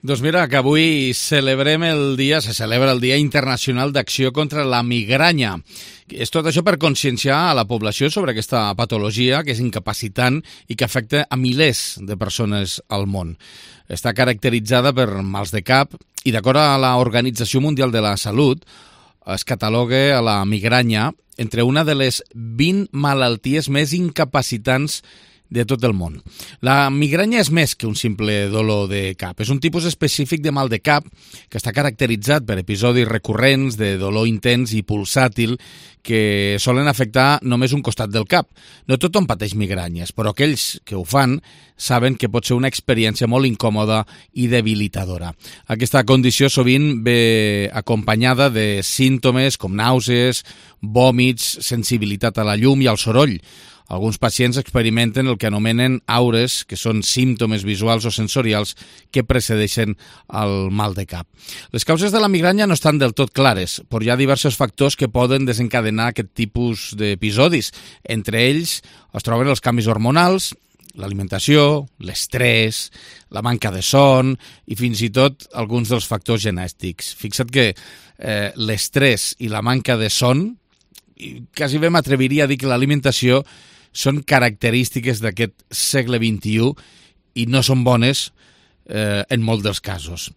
Doncs mira, que avui se celebra el Dia Internacional d'Acció contra la Migranya. És tot això per conscienciar a la població sobre aquesta patologia que és incapacitant i que afecta a milers de persones al món. Està caracteritzada per mals de cap i, d'acord a l'Organització Mundial de la Salut, es cataloga a la migranya entre una de les 20 malalties més incapacitants de tot el món. La migranya és més que un simple dolor de cap. És un tipus específic de mal de cap que està caracteritzat per episodis recurrents de dolor intens i pulsàtil que solen afectar només un costat del cap. No tothom pateix migranyes, però aquells que ho fan saben que pot ser una experiència molt incòmoda i debilitadora. Aquesta condició sovint ve acompanyada de símptomes com nàusees, vòmits, sensibilitat a la llum i al soroll. Alguns pacients experimenten el que anomenen aures, que són símptomes visuals o sensorials que precedeixen el mal de cap. Les causes de la migranya no estan del tot clares, però hi ha diversos factors que poden desencadenar aquest tipus d'episodis. Entre ells es troben els canvis hormonals, l'alimentació, l'estrès, la manca de son i fins i tot alguns dels factors genètics. Fixa't que l'estrès i la manca de son, quasi bé m'atreviria a dir que l'alimentació són característiques d'aquest segle XXI i no són bones en molts dels casos.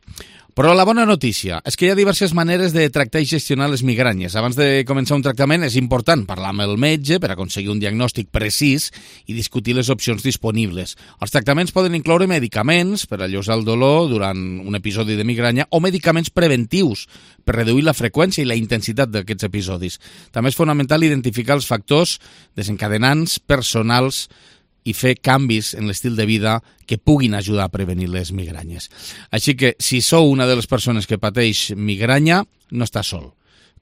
Però la bona notícia és que hi ha diverses maneres de tractar i gestionar les migranyes. Abans de començar un tractament és important parlar amb el metge per aconseguir un diagnòstic precís i discutir les opcions disponibles. Els tractaments poden incloure medicaments per alleujar el dolor durant un episodi de migranya o medicaments preventius per reduir la freqüència i la intensitat d'aquests episodis. També és fonamental identificar els factors desencadenants personals i fer canvis en l'estil de vida que puguin ajudar a prevenir les migranyes. Així que, si sou una de les persones que pateix migranya, no està sol.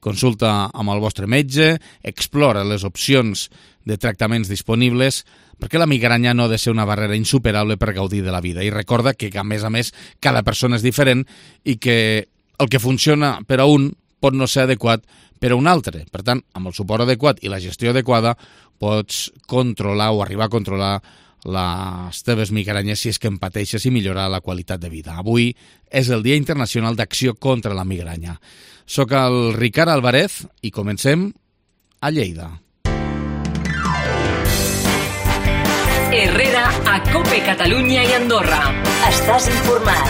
Consulta amb el vostre metge, explora les opcions de tractaments disponibles, perquè la migranya no ha de ser una barrera insuperable per gaudir de la vida. I recorda que, a més, cada persona és diferent i que el que funciona per a un pot no ser adequat per a un altre. Per tant, amb el suport adequat i la gestió adequada pots controlar o arribar a controlar les teves migranyes si és que en pateixes i millorar la qualitat de vida. Avui és el Dia Internacional d'Acció contra la Migranya. Soc el Ricard Álvarez i comencem a Lleida. Herrera a COPE Catalunya i Andorra. Estàs informat.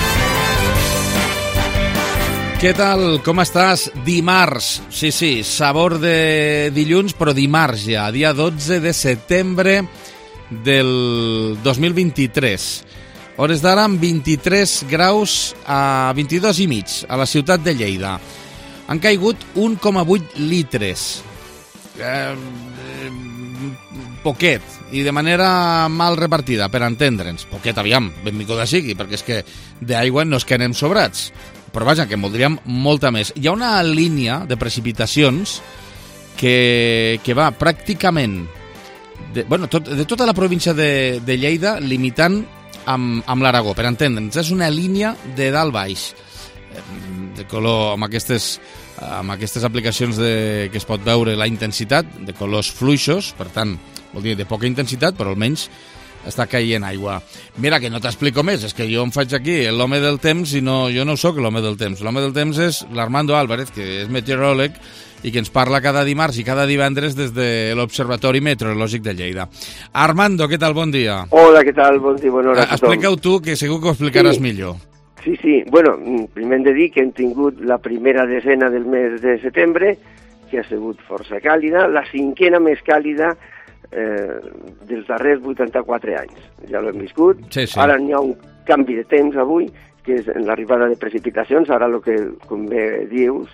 Què tal? Com estàs? Dimarts. Sí, sabor de dilluns, però dimarts ja, dia 12 de setembre del 2023. Hores d'ara amb 23 graus a 22 i mig a la ciutat de Lleida. Han caigut 1,8 litres. Poquet, i de manera mal repartida, per entendre'ns. Poquet, aviam, benvinguda sigui, perquè és que d'aigua no es quedem sobrats. Però vaja, que en voldríem molta més. Hi ha una línia de precipitacions que va pràcticament de tota la província de Lleida, limitant amb l'Aragó, per entendre'ns. És una línia de dalt baix, de color, amb aquestes aplicacions que es pot veure la intensitat, de colors fluixos, per tant, vol dir de poca intensitat, però almenys està caient aigua. Mira, que no t'explico més, és que jo em faig aquí l'home del temps i jo no sóc l'home del temps. L'home del temps és l'Armando Álvarez, que és meteoròleg i que ens parla cada dimarts i cada divendres des de l'Observatori Meteorològic de Lleida. Armando, què tal? Bon dia. Hola, què tal? Bon dia, bona hora a tothom. Explica-ho tu, que segur que ho explicaràs millor. Sí. Bueno, primer hem de dir que hem tingut la primera desena del mes de setembre, que ha sigut força càlida, la cinquena més càlida dels darrers 84 anys. Ja l'hem viscut. Sí. Ara n'hi ha un canvi de temps avui, que és l'arribada de precipitacions. Ara el que, com bé dius,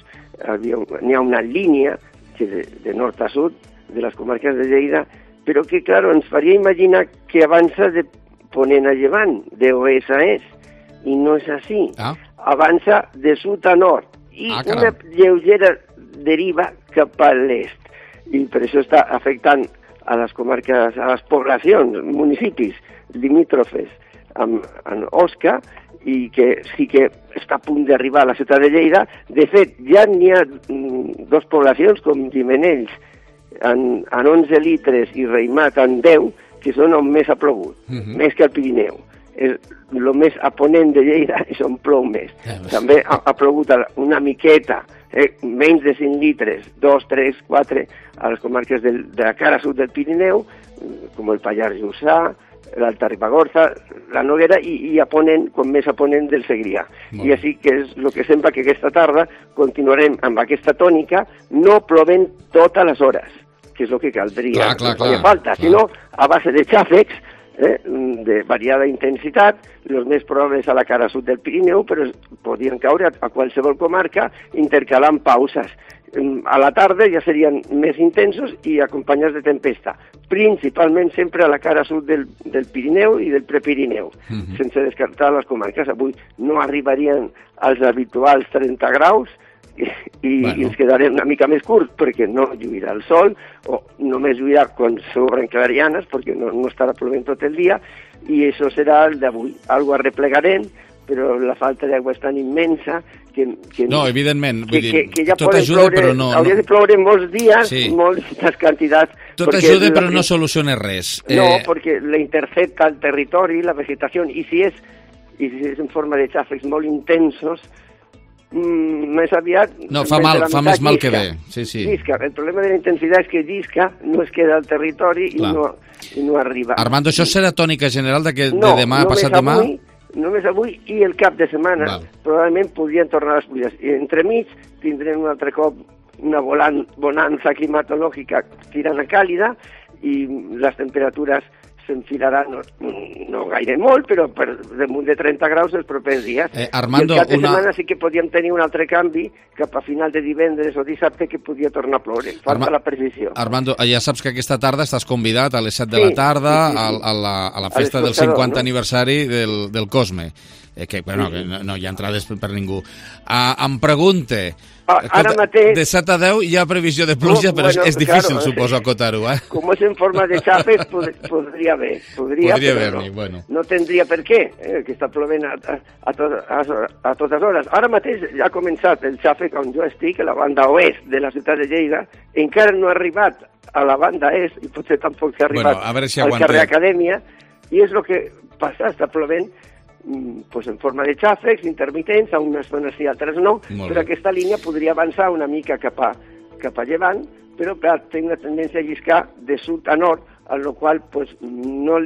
n'hi ha una línia que de nord a sud de les comarques de Lleida, però que, clar, ens faria imaginar que avança de ponent a llevant, d'oest a est, i no és així. Avança de sud a nord, i una lleugera deriva cap a l'est. I per això està afectant a les comarques, a les poblacions, municipis limítrofes amb Osca, i que sí que està a punt d'arribar a la ciutat de Lleida. De fet, ja n'hi ha dues poblacions com Gimenells en 11 litres i Reimat en 10, que són on més ha plogut, més que al Pirineu. és el més a ponent de Lleida i són plou més. També ha plogut una miqueta, menys de 5 litres, 2, 3, 4, a les comarques de la cara sud del Pirineu, com el Pallars Jussà, l'Alta Ribagorça, la Noguera i a ponent, com més a ponent del Segrià. I així que és el que sembla que aquesta tarda continuarem amb aquesta tònica, no plovent totes les hores, que és el que caldria. Clar. Falta, sinó a base de xàfecs, de variada intensitat, els més probables a la cara sud del Pirineu, però podien caure a qualsevol comarca intercalant pauses. A la tarda ja serien més intensos i acompanyats de tempesta, principalment sempre a la cara sud del Pirineu i del Prepirineu, sense descartar les comarques. Avui no arribarien als habituals 30 graus i ens quedarem una mica més curts perquè no lluirà el sol, o només lluirà quan s'obren clarianes perquè no estarà plovent tot el dia, i això serà el d'avui. Algo arreplegarem, però la falta d'aigua és tan immensa que no, evidentment, que ja tot ajuda, ploure, però no... Hauria de ploure molts dies, moltes quantitats... Tot ajuda, però no soluciona res. No, perquè la intercepta el territori, la vegetació, i si és en forma de xàfecs molt intensos, més aviat... No, fa més mal que bé. Sí. Llisca. El problema de la intensitat és que llisca, no es queda al territori i no arriba. Armando, això serà tònica general de demà, passat demà? Només avui i el cap de setmana probablement podrien tornar les pluges. I entremig tindrem un altre cop una bonança climatològica tirant a càlida i les temperatures s'enfilaran, no gaire molt, però per damunt de 30 graus els propers dies. Armando, I el cap de setmana sí que podíem tenir un altre canvi cap a final de divendres o dissabte que podia tornar a ploure. Falta la precisió. Armando, ja saps que aquesta tarda estàs convidat a les 7 de la tarda a la festa del 50 aniversari del Cosme. Que no hi ha entrades per ningú. Em pregunte... Ara mateix... De 7 a 10 hi ha previsió de pluja, però és difícil, suposo, acotar-ho, Com és en forma de xàfecs, podria haver. Podria haver-n'hi, bueno. No tindria per què, que està plovent a totes hores. Ara mateix ja ha començat el xàfec on jo estic, a la banda oest de la ciutat de Lleida, encara no ha arribat a la banda est, i potser tampoc s'ha arribat al carrer Acadèmia, i és el que passa, està plovent pues en forma de xàfecs intermitents, a unes zones sí, altres no, però aquesta línia podria avançar una mica cap a llevant, però clar, té una tendència a lliscar de sud a nord, a la qual pues, no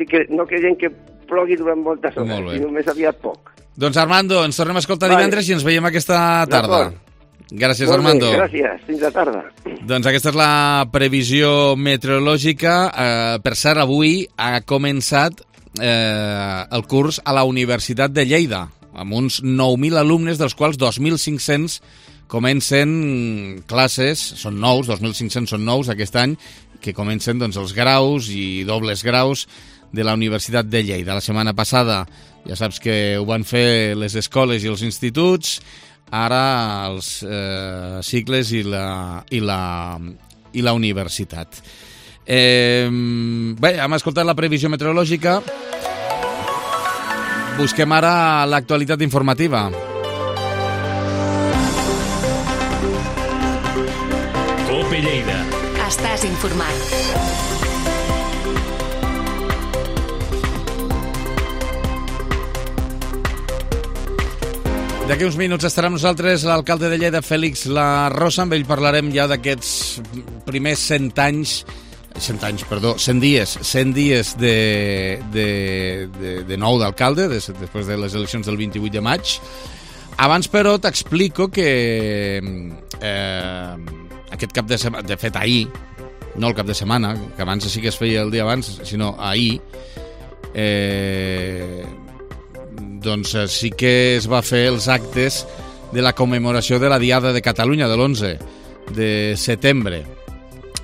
creiem que plogui durant moltes hores, i només aviat poc. Doncs Armando, ens tornem a escoltar divendres i ens veiem aquesta tarda. Gràcies, Armando. Gràcies, fins la tarda. Doncs aquesta és la previsió meteorològica. Per cert, avui ha començat el curs a la Universitat de Lleida, amb uns 9.000 alumnes, dels quals 2.500 comencen classes, són nous, 2.500 són nous aquest any, que comencen doncs, els graus i dobles graus de la Universitat de Lleida. La setmana passada ja saps que ho van fer les escoles i els instituts, ara els cicles i la universitat. Bé, hem escoltat la previsió meteorològica. Busquem ara l'actualitat informativa. COPE Lleida. Estàs informat. D'aquí uns minuts estarà amb nosaltres l'alcalde de Lleida, Fèlix La Rosa. Amb ell parlarem ja d'aquests primers 100 dies de nou d'alcalde, després de les eleccions del 28 de maig. Abans, però, t'explico que aquest cap de setmana, de fet ahir, no el cap de setmana, que abans sí que es feia el dia abans, sinó ahir, doncs sí que es va fer els actes de la commemoració de la Diada de Catalunya de l'11 de setembre,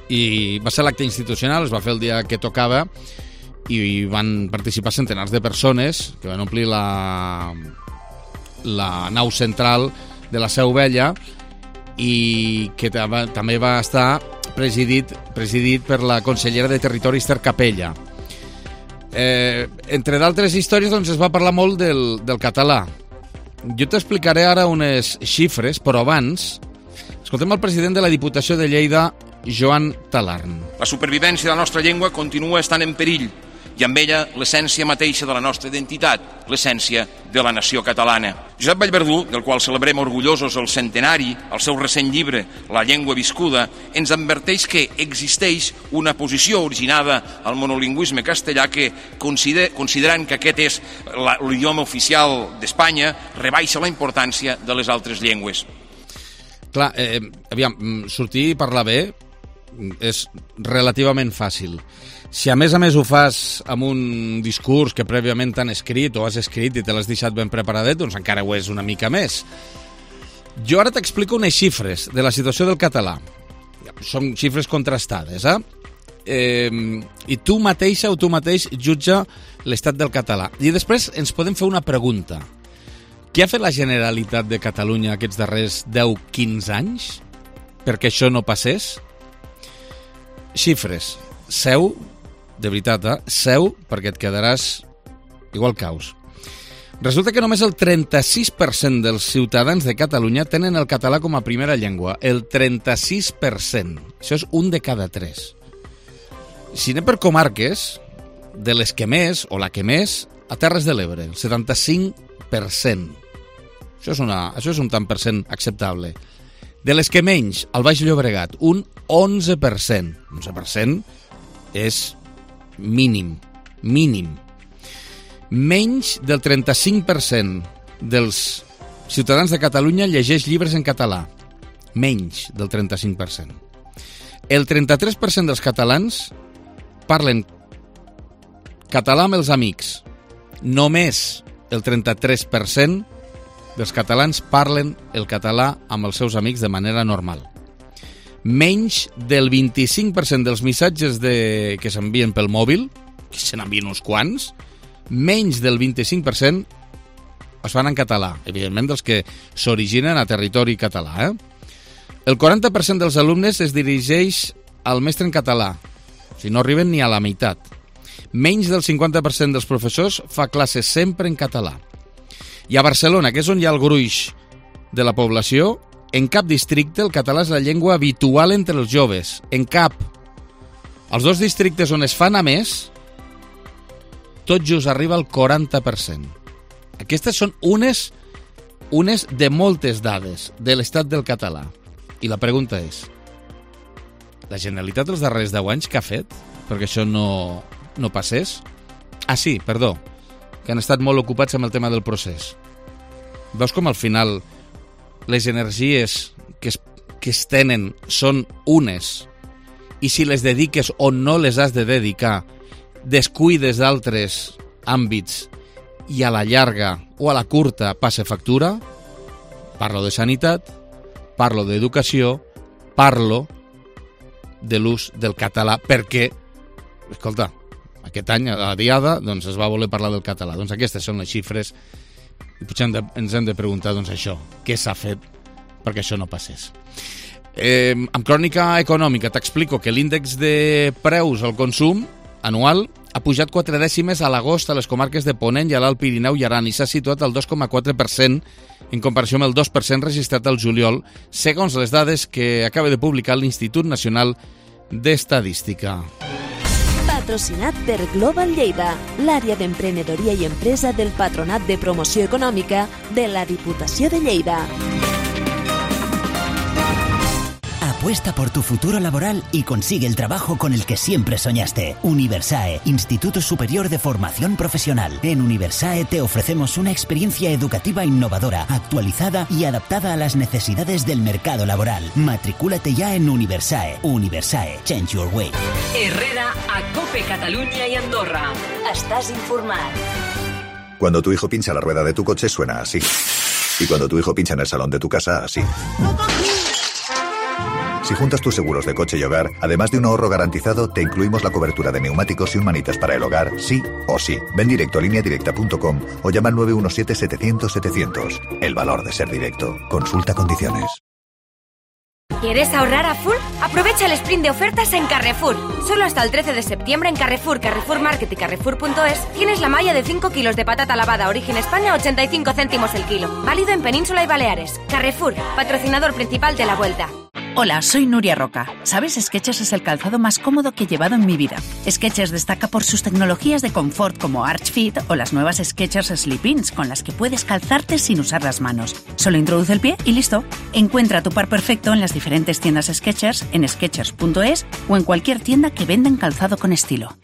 i va ser l'acte institucional, es va fer el dia que tocava i van participar centenars de persones que van omplir la nau central de la Seu Vella, i que també va estar presidit per la consellera de Territori, Esther Capella. Entre d'altres històries, doncs, es va parlar molt del català. Jo t'explicaré ara unes xifres, però abans escoltem el president de la Diputació de Lleida, Joan Talarn. La supervivència de la nostra llengua continua estant en perill i amb ella l'essència mateixa de la nostra identitat, l'essència de la nació catalana. Josep Vallverdú, del qual celebrem orgullosos el centenari, el seu recent llibre La llengua viscuda, ens adverteix que existeix una posició originada al monolingüisme castellà que, considerant que aquest és l'idioma oficial d'Espanya, rebaixa la importància de les altres llengües. Clar, aviam, sortir i parlar bé és relativament fàcil. Si a més ho fas amb un discurs que prèviament t'han escrit o has escrit i te l'has deixat ben preparadet, doncs encara ho és una mica més. Jo ara t'explico unes xifres de la situació del català. Són xifres contrastades, i tu mateixa o tu mateix jutja l'estat del català. I després ens podem fer una pregunta. Què ha fet la Generalitat de Catalunya aquests darrers 10-15 anys perquè això no passés? Xifres. Seu, de veritat, seu, perquè et quedaràs igual caus. Resulta que només el 36% dels ciutadans de Catalunya tenen el català com a primera llengua. El 36%. Això és un de cada 3. Si anem per comarques, de les que més, o la que més, a Terres de l'Ebre, el 75%. Això és un tant per cent acceptable. De les que menys, al Baix Llobregat, un 11%. 11% és mínim. Menys del 35% dels ciutadans de Catalunya llegeix llibres en català. Menys del 35%. El 33% dels catalans parlen català amb els amics. Només el 33% dels catalans parlen el català amb els seus amics de manera normal. Menys del 25% dels missatges que s'envien pel mòbil, que se n'envien uns quants, menys del 25% es fan en català, evidentment dels que s'originen a territori català. El 40% dels alumnes es dirigeix al mestre en català, si no arriben ni a la meitat. Menys del 50% dels professors fa classes sempre en català. I a Barcelona, que és on hi ha el gruix de la població, en cap districte el català és la llengua habitual entre els joves. En cap. Els dos districtes on es fa a més, tot just arriba al 40%. Aquestes són unes de moltes dades de l'estat del català. I la pregunta és, la Generalitat els darrers 10 anys què ha fet perquè això no passés? Ah, sí, perdó, que han estat molt ocupats amb el tema del procés. Veus com al final les energies que es tenen són unes i si les dediques o no les has de dedicar descuides d'altres àmbits i a la llarga o a la curta passa factura? Parlo de sanitat, parlo d'educació, parlo de l'ús del català perquè, escolta, aquest any, a la Diada, doncs es va voler parlar del català. Doncs aquestes són les xifres i potser ens hem de preguntar doncs això, què s'ha fet perquè això no passés. Amb Crònica Econòmica t'explico que l'índex de preus al consum anual ha pujat 4 dècimes a l'agost a les comarques de Ponent i a l'Alt Pirineu i Aran i s'ha situat al 2,4% en comparació amb el 2% registrat al juliol, segons les dades que acaba de publicar l'Institut Nacional d'Estadística. Patrocinat per Global Lleida, l'àrea d'emprenedoria i empresa del Patronat de Promoció Econòmica de la Diputació de Lleida. Apuesta por tu futuro laboral y consigue el trabajo con el que siempre soñaste. Universae, Instituto Superior de Formación Profesional. En Universae te ofrecemos una experiencia educativa innovadora, actualizada y adaptada a las necesidades del mercado laboral. Matricúlate ya en Universae. Universae, change your way. Herrera, a COPE Catalunya y Andorra. Estás informado. Cuando tu hijo pincha la rueda de tu coche suena así. Y cuando tu hijo pincha en el salón de tu casa, así. Si juntas tus seguros de coche y hogar, además de un ahorro garantizado, te incluimos la cobertura de neumáticos y un manitas para el hogar, sí o sí. Ven directo a lineadirecta.com o llama al 917-700-700. El valor de ser directo. Consulta condiciones. ¿Quieres ahorrar a full? Aprovecha el sprint de ofertas en Carrefour. Solo hasta el 13 de septiembre en Carrefour, Carrefour Market y Carrefour.es tienes la malla de 5 kilos de patata lavada Origen España a 85 céntimos el kilo. Válido en Península y Baleares. Carrefour, patrocinador principal de la Vuelta. Hola, soy Nuria Roca. ¿Sabes? Skechers es el calzado más cómodo que he llevado en mi vida. Skechers destaca por sus tecnologías de confort como Arch Fit o las nuevas Skechers Slip-ins con las que puedes calzarte sin usar las manos. Solo introduce el pie y listo. Encuentra tu par perfecto en las diferentes tiendas Skechers, en skechers.es o en cualquier tienda que venden calzado con estilo.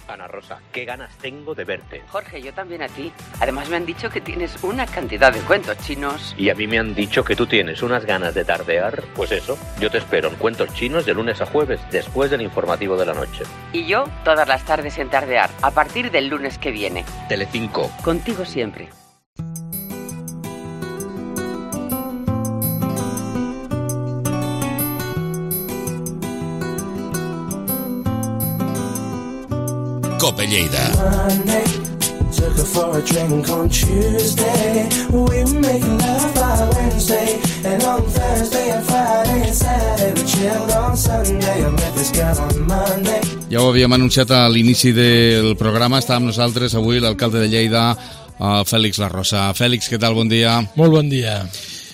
Ana Rosa, qué ganas tengo de verte. Jorge, yo también a ti. Además me han dicho que tienes una cantidad de cuentos chinos. Y a mí me han dicho que tú tienes unas ganas de tardear. Pues eso, yo te espero en Cuentos Chinos de lunes a jueves, después del informativo de la noche. Y yo todas las tardes en Tardear, a partir del lunes que viene. Telecinco. Contigo siempre. Cope Lleida. Took her for a drink on Tuesday. We were making love by Wednesday. And on Thursday and Friday and Saturday we chilled on Sunday. I met this girl on Monday. Ja ho havíem anunciat a l'inici del programa. Està amb nosaltres avui l'alcalde de Lleida, Fèlix Larrosa. Fèlix, què tal? Bon dia. Molt bon dia.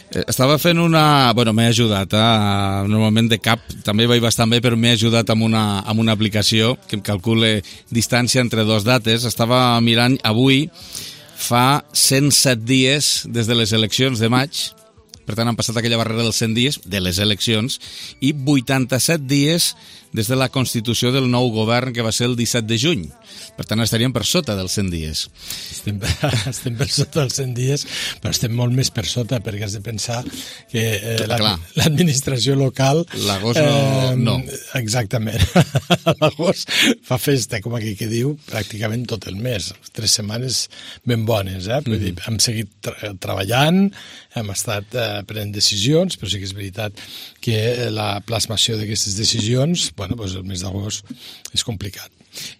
Estava fent una... Bueno, m'he ajudat, normalment de cap, també vaig bastant bé, però m'he ajudat amb una aplicació que em calcula distància entre dos dates. Estava mirant avui, fa 107 dies des de les eleccions de maig, per tant han passat aquella barrera dels 100 dies de les eleccions, i 87 dies des de la constitució del nou govern, que va ser el 17 de juny. Per tant, estaríem per sota dels 100 dies. Estem per sota dels 100 dies, però estem molt més per sota, perquè has de pensar que l'administració local... L'agost no. Exactament. L'agost fa festa, com aquí que diu, pràcticament tot el mes. 3 setmanes ben bones, Vull dir, hem seguit treballant, hem estat prenent decisions, però sí que és veritat que la plasmació d'aquestes decisions, doncs el mes d'agost és complicat.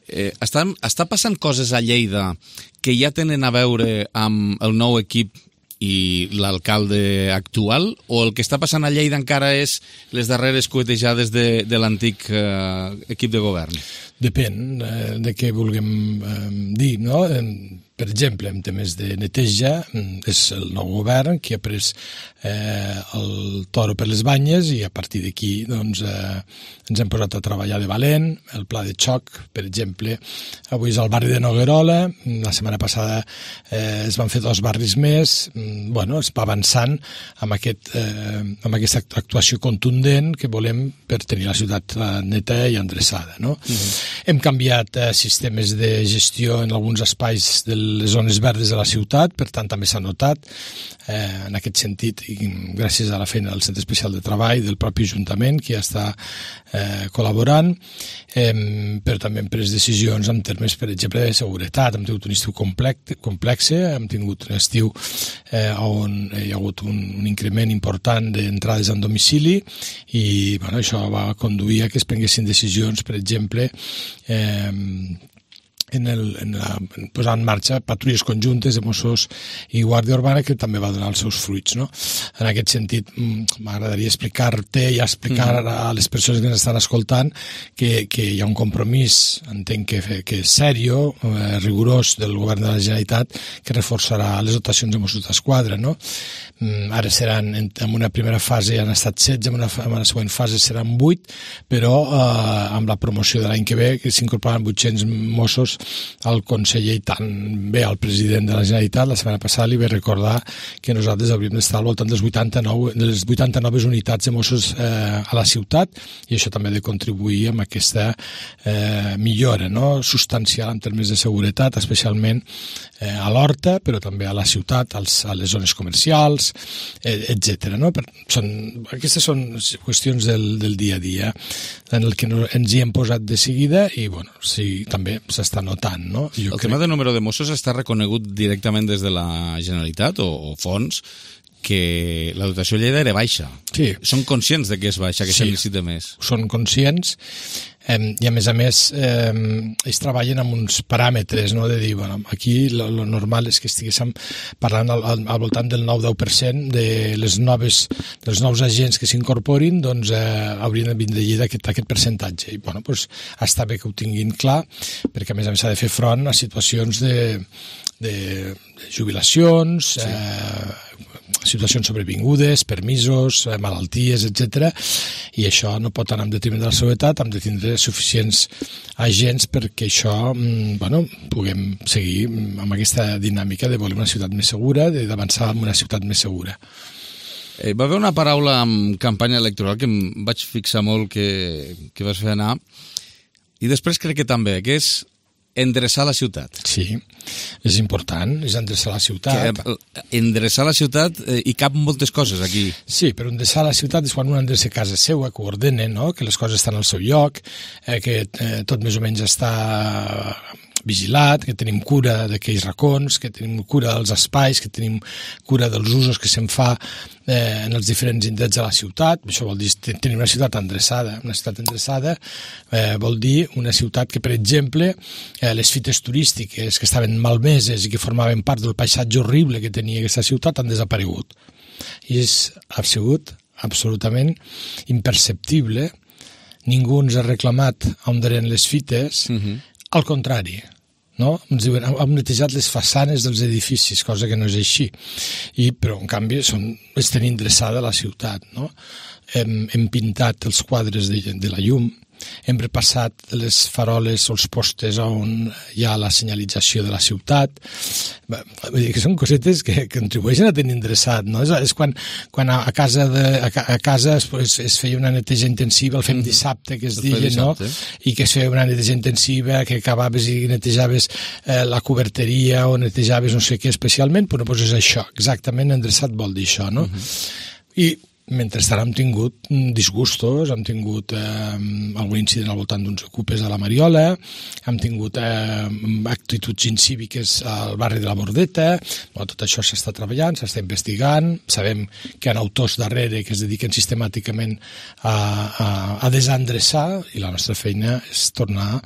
Està passant coses a Lleida que ja tenen a veure amb el nou equip i l'alcalde actual, o el que està passant a Lleida encara és les darreres cuetejades de l'antic equip de govern? Depèn de què vulguem dir, no? Per exemple, en temes de neteja, és el nou govern qui ha pres el toro per les banyes i a partir d'aquí doncs, ens hem posat a treballar de valent. El pla de xoc, per exemple, avui és al barri de Noguerola, la setmana passada es van fer 2 barris més, es va avançant amb aquesta actuació contundent que volem per tenir la ciutat neta i endreçada. No? Hem canviat sistemes de gestió en alguns espais de les zones verdes de la ciutat, per tant també s'ha notat en aquest sentit, i gràcies a la feina del Centre Especial de Treball, del propi Ajuntament, que ja està col·laborant, però també hem pres decisions en termes, per exemple, de seguretat. Hem tingut un estiu complex, hem tingut un estiu on hi ha hagut un increment important d'entrades en domicili i això va conduir a que es prenguessin decisions, per exemple, posar en marxa patrulles conjuntes de Mossos i Guàrdia Urbana, que també va donar els seus fruits. No? En aquest sentit, m'agradaria explicar-te i explicar a les persones que ens estan escoltant que hi ha un compromís, entenc que és serio, rigorós, del govern de la Generalitat, que reforçarà les dotacions de Mossos d'Esquadra. No? Ara seran, en una primera fase han estat 16, en una següent fase seran 8, però amb la promoció de l'any que ve, que s'incorporaran 800 Mossos, el conseller i tant bé al president de la Generalitat la setmana passada li va recordar que nosaltres hauríem d'estar al voltant de les 89 unitats de Mossos a la ciutat, i això també ha de contribuir amb aquesta millora substancial en termes de seguretat, especialment a l'Horta, però també a la ciutat, a les zones comercials, etc. Aquestes són qüestions del dia a dia en el que ens hi hem posat de seguida i sí, també s'està notant. No? El tema del número de Mossos està reconegut directament des de la Generalitat o fons que la dotació a Lleida era baixa. Sí. Són conscients de que és baixa, que se'n necessita més. Són conscients i a més ells treballen amb uns paràmetres, no? De dir, aquí lo normal és que estiguéssim parlant al voltant del 9-10% dels nous agents que s'incorporin, doncs haurien de vindre a Lleida aquest percentatge. I està bé que ho tinguin clar, perquè a més s'ha de fer front a situacions de jubilacions, situacions sobrevingudes, permisos, malalties, etc. I això no pot anar en detriment de la seguretat, hem de tindre suficients agents perquè això, puguem seguir amb aquesta dinàmica de voler una ciutat més segura, d'avançar en una ciutat més segura. Va haver una paraula en campanya electoral que em vaig fixar molt que vas fer anar, i després crec que també, que és endreçar la ciutat. Sí, és important, és endreçar la ciutat. Endreçar la ciutat hi cap moltes coses aquí. Sí, però endreçar la ciutat és quan un endreça casa seva, que ho ordena, no? Que les coses estan al seu lloc, que tot més o menys està vigilat, que tenim cura d'aquells racons, que tenim cura dels espais, que tenim cura dels usos que se'n fa en els diferents indrets de la ciutat. Això vol dir tenir una ciutat endreçada. Una ciutat endreçada vol dir una ciutat que, per exemple, les fites turístiques que estaven malmeses i que formaven part del paisatge horrible que tenia aquesta ciutat han desaparegut. I ha sigut absolutament imperceptible. Ningú ens ha reclamat on eren les fites. Al contrari, no? Ens diuen, hem netejat les façanes dels edificis, cosa que no és així. Però, en canvi, és tenir endreçada la ciutat, no? Hem pintat els quadres de la llum, hem repassat les faroles o els postes on hi ha la senyalització de la ciutat. Vull dir que són cosetes que contribueixen a tenir endreçat, no? És quan a casa es feia una neteja intensiva, el fem dissabte, que es deia, no? I que es feia una neteja intensiva, que acabaves i netejaves la coberteria o netejaves no sé què especialment, però doncs és això, exactament endreçat vol dir això, no? I mentrestant hem tingut disgustos, hem tingut algun incident al voltant d'uns ocupes a la Mariola, hem tingut actituds incíviques al barri de la Bordeta. Tot això s'està treballant, s'està investigant, sabem que hi ha autors darrere que es dediquen sistemàticament a desendreçar, i la nostra feina és tornar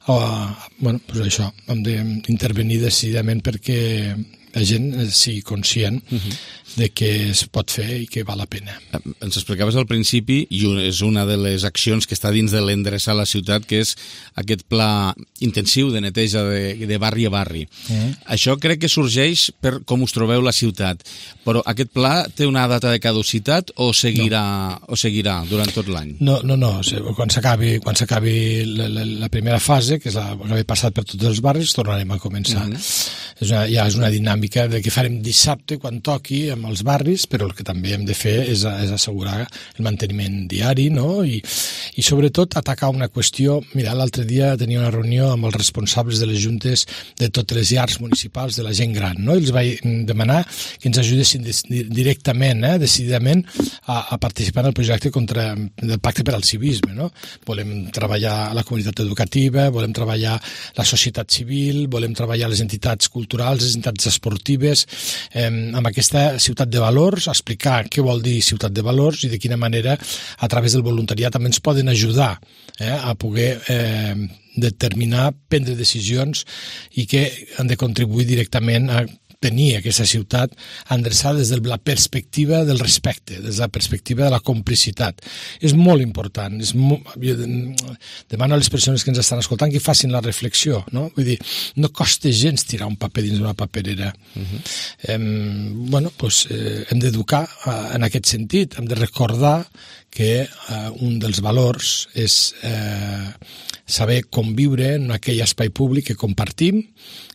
doncs això, hem d'intervenir decididament perquè la gent sigui conscient de que es pot fer i que val la pena. Ens explicaves al principi, i és una de les accions que està dins de l'endreçar la ciutat, que és aquest pla intensiu de neteja de barri a barri. Això crec que sorgeix per com us trobeu la ciutat, però aquest pla té una data de caducitat o seguirà durant tot l'any? No. Quan s'acabi la primera fase, que és l'haver passat per tots els barris, tornarem a començar. Ja és una dinàmica de que farem dissabte quan toqui amb els barris, però el que també hem de fer és assegurar el manteniment diari, no? I sobretot atacar una qüestió. Mira, l'altre dia tenia una reunió amb els responsables de les juntes de totes les llars municipals de la gent gran, no? I els vaig demanar que ens ajudessin directament, decididament, a participar en el projecte del Pacte per al Civisme, no? Volem treballar la comunitat educativa, volem treballar la societat civil, volem treballar les entitats culturals, les entitats esportives, amb aquesta ciutat de valors, explicar què vol dir ciutat de valors i de quina manera a través del voluntariat també ens poden ajudar a poder determinar, prendre decisions i que han de contribuir directament a tenir aquesta ciutat endreçada des de la perspectiva del respecte, des de la perspectiva de la complicitat. És molt important. Jo demano a les persones que ens estan escoltant que facin la reflexió, no? Vull dir, no costa gens tirar un paper dins d'una paperera. Hem d'educar en aquest sentit, hem de recordar que un dels valors és saber conviure en aquell espai públic que compartim,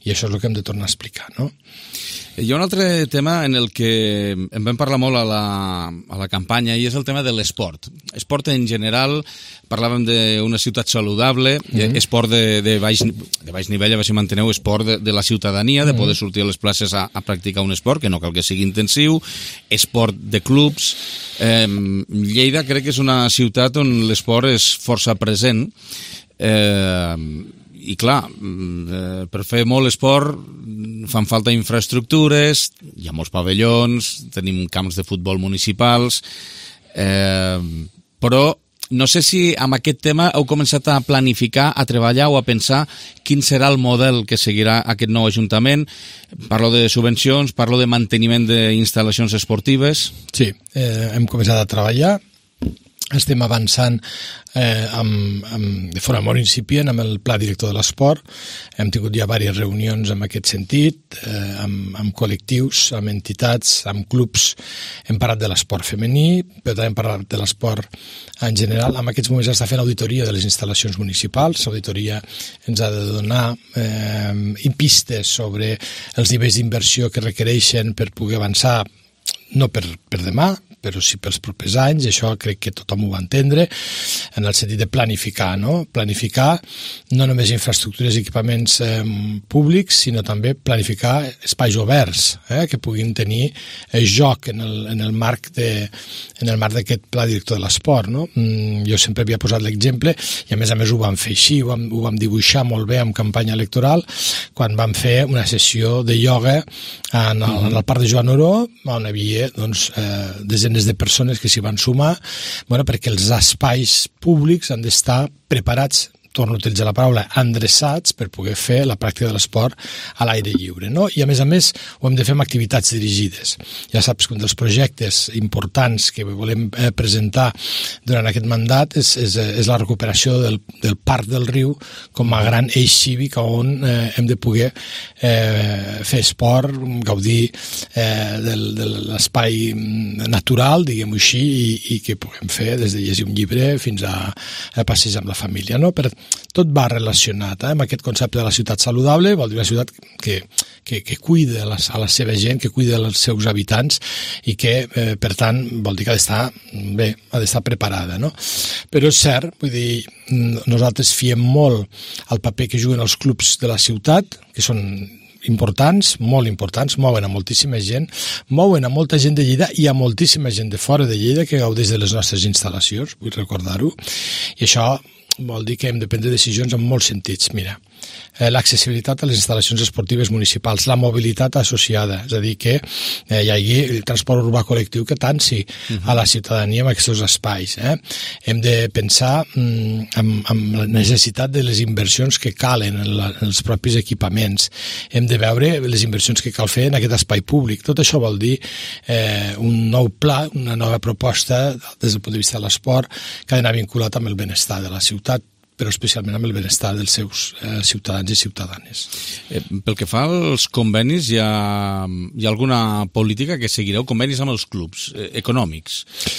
i això és el que hem de tornar a explicar, no? Hi ha un altre tema en el que en vam parlar molt a la campanya, i és el tema de l'esport. Esport en general, parlàvem d'una ciutat saludable, esport de baix nivell, a veure si manteneu esport de la ciutadania, de poder sortir a les places a practicar un esport, que no cal que sigui intensiu, esport de clubs. Lleida crec que és una ciutat on l'esport és força present, i clar, per fer molt esport fan falta infraestructures, hi ha molts pavellons, tenim camps de futbol municipals, però no sé si amb aquest tema heu començat a planificar, a treballar o a pensar quin serà el model que seguirà aquest nou ajuntament. Parlo de subvencions, parlo de manteniment d'instal·lacions esportives. Sí, hem començat a treballar. estem avançant de forma molt incipient amb el pla director de l'esport. Hem tingut ja diverses reunions en aquest sentit, amb col·lectius, amb entitats, amb clubs. Hem parlat de l'esport femení, però també hem parlat de l'esport en general. En aquests moments està fent auditoria de les instal·lacions municipals. L'auditoria ens ha de donar pistes sobre els nivells d'inversió que requereixen per poder avançar, no per demà, però sí pels propers anys. Això crec que tothom ho va entendre, en el sentit de planificar, no? Planificar no només infraestructures i equipaments públics, sinó també planificar espais oberts que puguin tenir joc en el marc d'aquest pla director de l'esport, no? Jo sempre havia posat l'exemple, i a més ho vam fer així, ho vam dibuixar molt bé en campanya electoral, quan vam fer una sessió de ioga en el parc de Joan Oró, on hi havia desenes de persones que s'hi van sumar, perquè els espais públics han d'estar preparats, torno a utilitzar la paraula, endreçats per poder fer la pràctica de l'esport a l'aire lliure, no? I a més ho hem de fer amb activitats dirigides. Ja saps que un dels projectes importants que volem presentar durant aquest mandat és la recuperació del Parc del Riu com a gran eix cívic on hem de poder fer esport, gaudir de l'espai natural, diguem-ho així, i que puguem fer des de llegir un llibre fins a passejar amb la família, no? Tot va relacionat amb aquest concepte de la ciutat saludable. Vol dir una ciutat que cuida a la seva gent, que cuida els seus habitants i que, per tant, vol dir que ha d'estar bé, ha d'estar preparada, no? Però és cert, vull dir, nosaltres fiem molt al paper que juguen els clubs de la ciutat, que són importants, molt importants, mouen a moltíssima gent, mouen a molta gent de Lleida i a moltíssima gent de fora de Lleida que gaudeix de les nostres instal·lacions, vull recordar-ho, i això vol dir que hem de prendre decisions en molts sentits. Mira, l'accessibilitat a les instal·lacions esportives municipals, la mobilitat associada, és a dir, que hi hagi el transport urbà col·lectiu que tanci a la ciutadania en aquests espais. Hem de pensar en la necessitat de les inversions que calen en els propis equipaments. Hem de veure les inversions que cal fer en aquest espai públic. Tot això vol dir un nou pla, una nova proposta des del punt de vista de l'esport que ha d'anar vinculat amb el benestar de la ciutat, però especialment amb el benestar dels seus ciutadans i ciutadanes. Pel que fa als convenis, hi ha alguna política que seguireu? Convenis amb els clubs econòmics.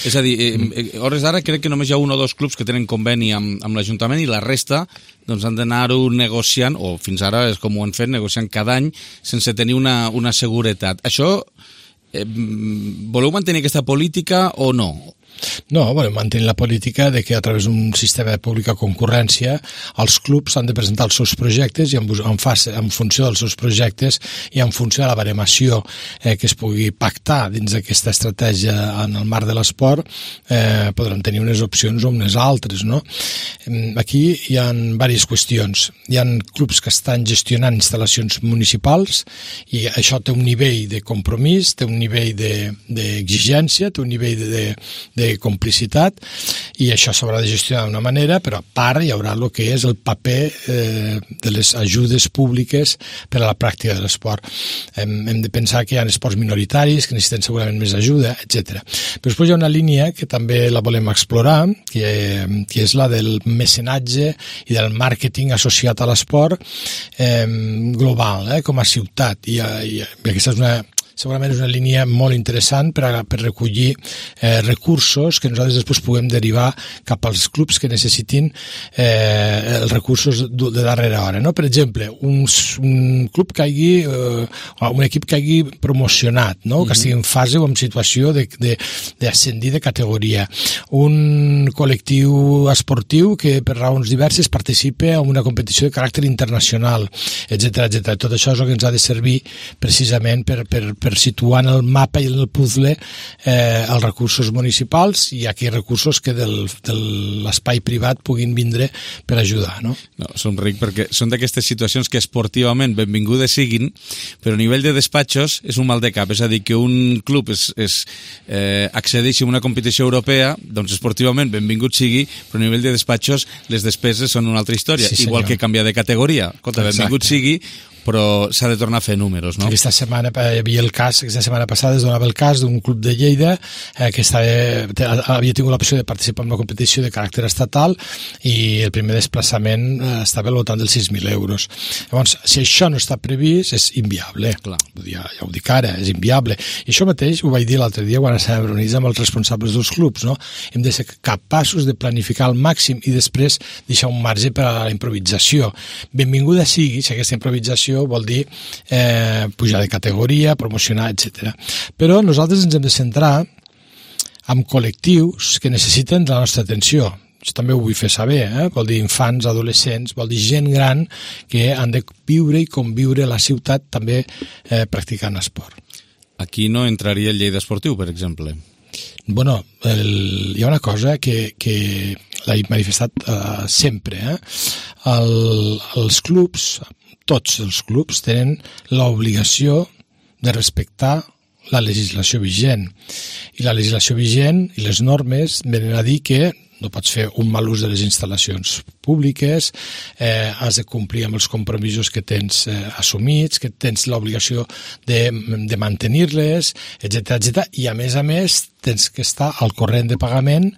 És a dir, a hores d'ara crec que només hi ha un o dos clubs que tenen conveni amb l'Ajuntament i la resta han d'anar-ho negociant, o fins ara és com ho han fet, negociant cada any sense tenir una seguretat. Això, voleu mantenir aquesta política o no? No, volem mantenir la política de que a través d'un sistema de pública concurrència els clubs han de presentar els seus projectes i en funció dels seus projectes i en funció de la baremació que es pugui pactar dins d'aquesta estratègia en el marc de l'esport podran tenir unes opcions o unes altres, no? Aquí hi ha diverses qüestions. Hi ha clubs que estan gestionant instal·lacions municipals i això té un nivell de compromís, té un nivell d'exigència, té un nivell de complicitat i això s'haurà de gestionar d'una manera, però a part hi haurà el que és el paper de les ajudes públiques per a la pràctica de l'esport. Hem de pensar que hi ha esports minoritaris que necessiten segurament més ajuda, etc. Però després hi ha una línia que també la volem explorar, que és la del mecenatge i del màrqueting associat a l'esport global, com a ciutat, i aquesta és segurament és una línia molt interessant per recollir recursos que nosaltres després puguem derivar cap als clubs que necessitin els recursos de darrera hora, no? Per exemple, un club que hagi un equip que hagi promocionat, no? Que estigui en fase o en situació d'ascendir de categoria, un col·lectiu esportiu que per raons diverses participa en una competició de caràcter internacional, etc. Tot això és el que ens ha de servir precisament per situar en el mapa i en el puzzle els recursos municipals i aquells recursos que de l'espai privat puguin vindre per ajudar, no? No, somric perquè són d'aquestes situacions que esportivament benvingudes siguin, però a nivell de despatxos és un mal de cap, és a dir, que un club accedeixi a una competició europea, doncs esportivament benvingut sigui, però a nivell de despatxos les despeses són una altra història, igual que canviar de categoria. Escolta, benvingut sigui, però s'ha de tornar a fer números, no? Aquesta setmana hi havia el cas, aquesta setmana passada es donava el cas d'un club de Lleida que havia tingut l'opció de participar en una competició de caràcter estatal i el primer desplaçament estava al voltant dels 6.000 euros. Llavors, si això no està previst, és inviable. Clar. Ja ho dic ara, és inviable. I això mateix ho vaig dir l'altre dia quan estàvem reunits amb els responsables dels clubs, no? Hem de ser capaços de planificar al màxim i després deixar un marge per a la improvisació. Benvinguda sigui si aquesta improvisació vol dir pujar de categoria, promocionar, etc. Però nosaltres ens hem de centrar en col·lectius que necessiten la nostra atenció. Això també ho vull fer saber, vol dir infants, adolescents, vol dir gent gran que han de viure i conviure a la ciutat també practicant esport. Aquí no entraria el Lleida Esportiu, per exemple. Bueno, hi ha una cosa que l'he manifestat sempre. Els clubs, tots els clubs, tenen l'obligació de respectar la legislació vigent. I la legislació vigent i les normes venen a dir que no pots fer un mal ús de les instal·lacions públiques, has de complir amb els compromisos que tens assumits, que tens l'obligació de mantenir-les, etc. I a més tens que estar al corrent de pagament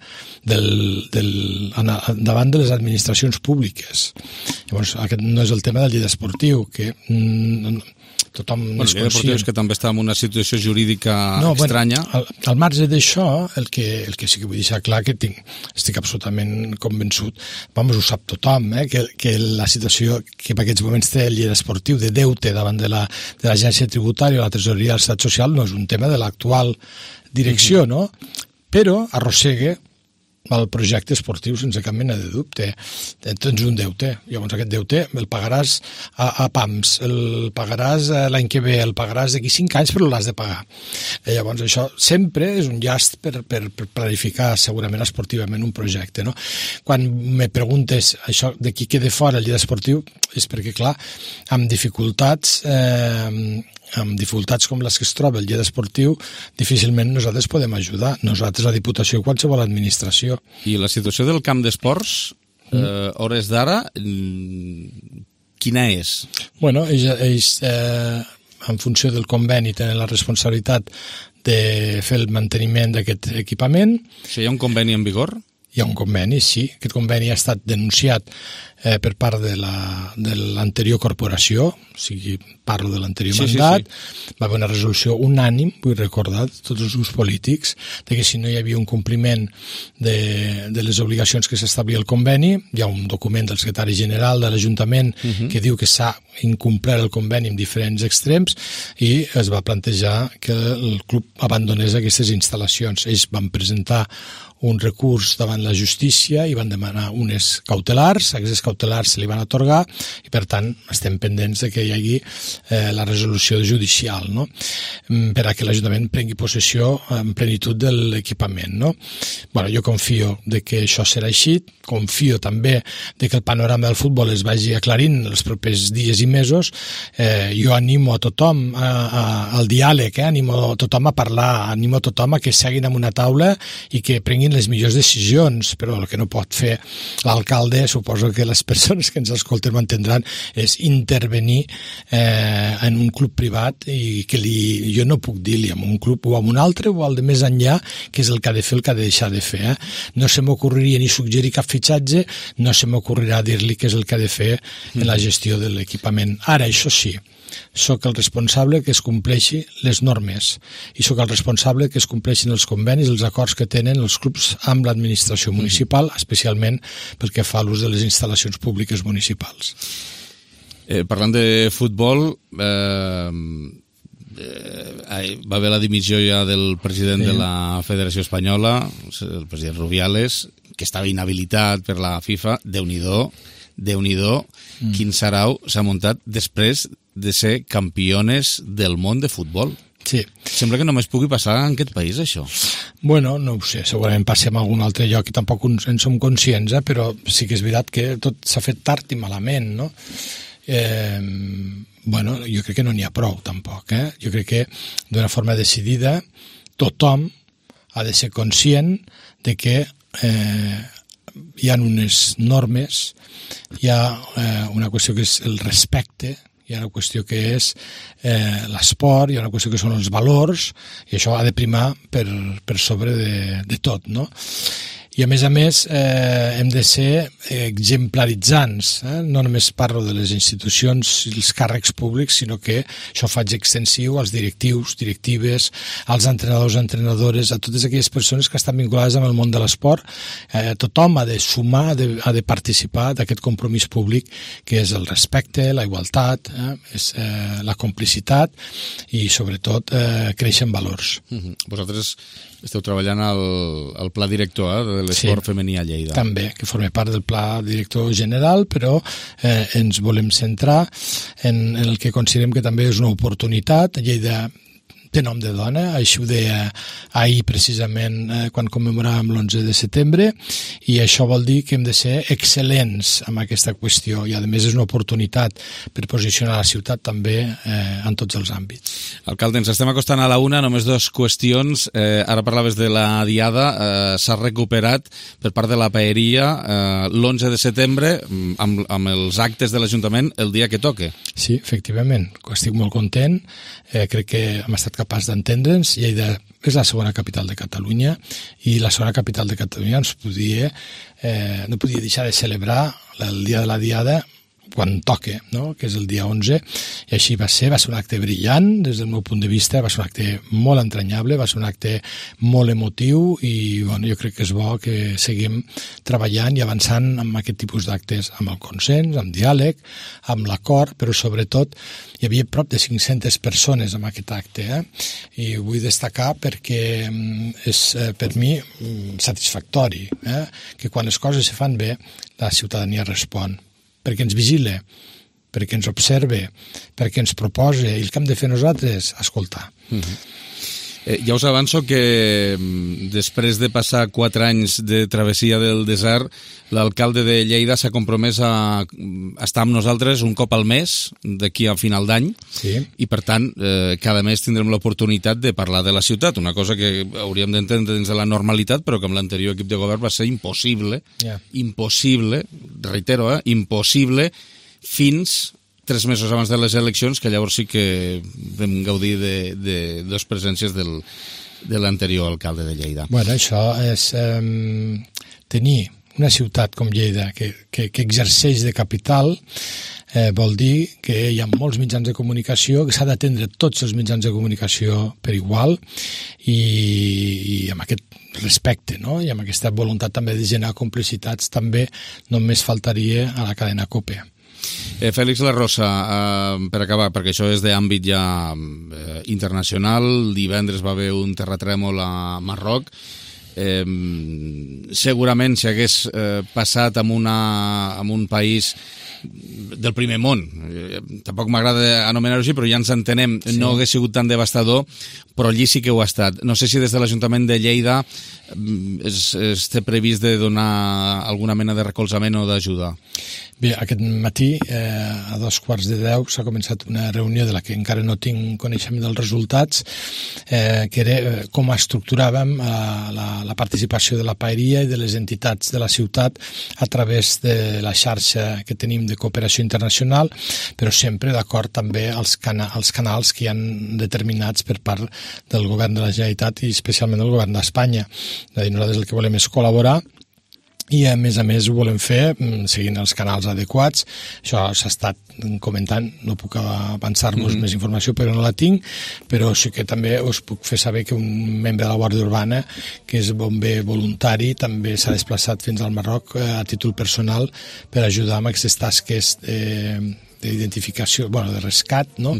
davant de les administracions públiques. Llavors, aquest no és el tema del Lleida Esportiu, que tothom és conscient. És que també està en una situació jurídica estranya. Al marge d'això, el que sí que vull deixar clar que estic absolutament convençut, ho sap tothom, que la situació que en aquests moments té el Lleida Esportiu de deute davant de l'agència tributària o la tresoreria de l'Estat Social no és un tema de l'actual direcció, no? Però arrossega el projecte esportiu sense cap mena de dubte. Tens un deute, llavors aquest deute el pagaràs a PAMS, el pagaràs l'any que ve, el pagaràs d'aquí 5 anys, però l'has de pagar. Llavors això sempre és un llast per planificar segurament esportivament un projecte, no? Quan me preguntes això de qui queda fora el Lleida Esportiu és perquè, clar, amb dificultats com les que es troba el Lleida Esportiu, difícilment nosaltres podem ajudar. Nosaltres, la Diputació i qualsevol administració. I la situació del camp d'esports, hores d'ara, quina és? Bueno, ells en funció del conveni, tenen la responsabilitat de fer el manteniment d'aquest equipament. O sigui, hi ha un conveni en vigor? Hi ha un conveni, sí. Aquest conveni ha estat denunciat per part de l'anterior corporació, o sigui, parlo de l'anterior mandat. Va haver una resolució unànim, vull recordar, de tots els grups polítics, de que si no hi havia un compliment de les obligacions que s'establia el conveni, hi ha un document del secretari general de l'Ajuntament que diu que s'ha incomplert el conveni en diferents extrems i es va plantejar que el club abandonés aquestes instal·lacions. Ells van presentar un recurs davant la justícia i van demanar unes cautelars, aquestes cautelars se li van atorgar i per tant estem pendents de que hi hagi la resolució judicial, no? Per a que l'Ajuntament prengui possessió en plenitud de l'equipament, no? Bueno, jo confio de que això serà així, confio també de que el panorama del futbol es vagi aclarint els propers dies i mesos. Jo animo a tothom al diàleg, animo a tothom a parlar, animo a tothom a que seguin en una taula i que prenguin les millors decisions, però el que no pot fer l'alcalde, suposo que les persones que ens escolten ho entendran, és intervenir en un club privat i que jo no puc dir-li a un club o a un altre o al de més enllà que és el que ha de fer, el que ha de deixar de fer. No se m'ocorreria ni suggerir cap fitxatge, no se m'ocorrirà dir-li què és el que ha de fer en la gestió de l'equipament. Ara, això sí, sóc el responsable que es compleixi les normes i sóc el responsable que es compleixin els convenis, els acords que tenen els clubs amb l'administració municipal, especialment pel que fa a l'ús de les instal·lacions públiques municipals. Parlant de futbol, va haver la dimissió ja del president de la Federació Espanyola, el president Rubiales, que estava inhabilitat per la FIFA. Déu-n'hi-do, quin sarau s'ha muntat després de ser campiones del món de futbol. Sí. Sembla que només pugui passar en aquest país, això. Bueno, no ho sé, segurament passem a algun altre lloc i tampoc en som conscients, però sí que és veritat que tot s'ha fet tard i malament, no? Bueno, jo crec que no n'hi ha prou, tampoc. Jo crec que d'una forma decidida tothom ha de ser conscient de que hi ha unes normes, hi ha una qüestió que és el respecte, hi ha una qüestió que és l'esport, hi ha una qüestió que són els valors, i això ha de primar per sobre de tot, no? I a més hem de ser exemplaritzants, no només parlo de les institucions i els càrrecs públics, sinó que això faig extensiu als directius, directives, als entrenadors, entrenadores, a totes aquelles persones que estan vinculades amb el món de l'esport. Tothom ha de sumar, ha de participar d'aquest compromís públic que és el respecte, la igualtat, és la complicitat i sobretot créixer en valors. Vosaltres esteu treballant al pla director de l'esport femení a Lleida. També, que forma part del pla director general, però ens volem centrar en el que considerem que també és una oportunitat. Lleida té nom de dona, així ho deia ahir precisament quan commemoràvem l'11 de setembre, i això vol dir que hem de ser excel·lents en aquesta qüestió, i a més és una oportunitat per posicionar la ciutat també en tots els àmbits. Alcalde, ens estem acostant a la una, només dues qüestions. Ara parlaves de la diada, s'ha recuperat per part de la paeria l'11 de setembre amb els actes de l'Ajuntament el dia que toque. Sí, efectivament, estic molt content, crec que hem estat capaç d'entendre'ns. Lleida és la segona capital de Catalunya i la segona capital de Catalunya no podia deixar de celebrar el dia de la diada quan toque, no? Que és el dia 11, i així va ser un acte brillant des del meu punt de vista, va ser un acte molt entranyable, va ser un acte molt emotiu, i bueno, jo crec que és bo que seguim treballant i avançant amb aquest tipus d'actes, amb el consens, amb diàleg, amb l'acord, però sobretot hi havia prop de 500 persones en aquest acte, i ho vull destacar perquè és per mi satisfactori, que quan les coses se fan bé la ciutadania respon, perquè ens vigila, perquè ens observa, perquè ens proposa, i el que hem de fer nosaltres, escoltar. Ja us avanço que després de passar 4 anys de travessia del desert, l'alcalde de Lleida s'ha compromès a estar amb nosaltres un cop al mes d'aquí a final d'any, i per tant cada mes tindrem l'oportunitat de parlar de la ciutat, una cosa que hauríem d'entendre dins de la normalitat, però que amb l'anterior equip de govern va ser impossible, reitero, impossible, fins 3 mesos abans de les eleccions, que llavors sí que vam gaudir de dos presències de l'anterior alcalde de Lleida. Bueno, això és tenir una ciutat com Lleida que exerceix de capital, vol dir que hi ha molts mitjans de comunicació, que s'ha d'atendre tots els mitjans de comunicació per igual, i amb aquest respecte, no? I amb aquesta voluntat també de generar complicitats, també només faltaria a la cadena COPE. Fèlix La Rosa, per acabar, perquè això és d'àmbit ja internacional, divendres va haver un terratrèmol a Marroc, segurament si hagués passat en un país del primer món, tampoc m'agrada anomenar-ho així, però ja ens entenem, no hagués sigut tan devastador, però allí sí que ho ha estat. No sé si des de l'Ajuntament de Lleida es té previst de donar alguna mena de recolzament o d'ajuda. Bé, aquest matí, a 9:15, s'ha començat una reunió de la que encara no tinc coneixement dels resultats, que era com estructuràvem la participació de la paeria i de les entitats de la ciutat a través de la xarxa que tenim de cooperació internacional, però sempre d'acord també als canals que hi han determinats per part del govern de la Generalitat i especialment del govern d'Espanya. Nosaltres el que volem és col·laborar, i a més ho volem fer seguint els canals adequats. Això s'ha estat comentant, no puc avançar-vos més informació però no la tinc, però sí que també us puc fer saber que un membre de la Guàrdia Urbana, que és bomber voluntari, també s'ha desplaçat fins al Marroc a títol personal per ajudar amb aquestes tasques d'identificació, de rescat, no?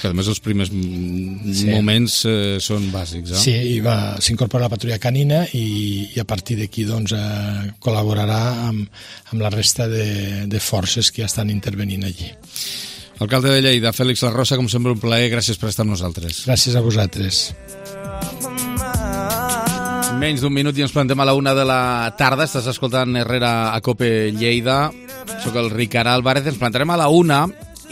Que a més els primers moments són bàsics, Sí, i s'incorpora la patrulla canina i a partir d'aquí col·laborarà amb la resta de forces que ja estan intervenint allí. Alcalde de Lleida, Fèlix La Rosa, com sempre un plaer, gràcies per estar amb nosaltres. Gràcies a vosaltres. Menys d'un minut i ens plantem a la 1 de la tarda. Estàs escoltant Herrera a COPE Lleida. Soc el Ricard Álvarez. Ens plantarem a la 1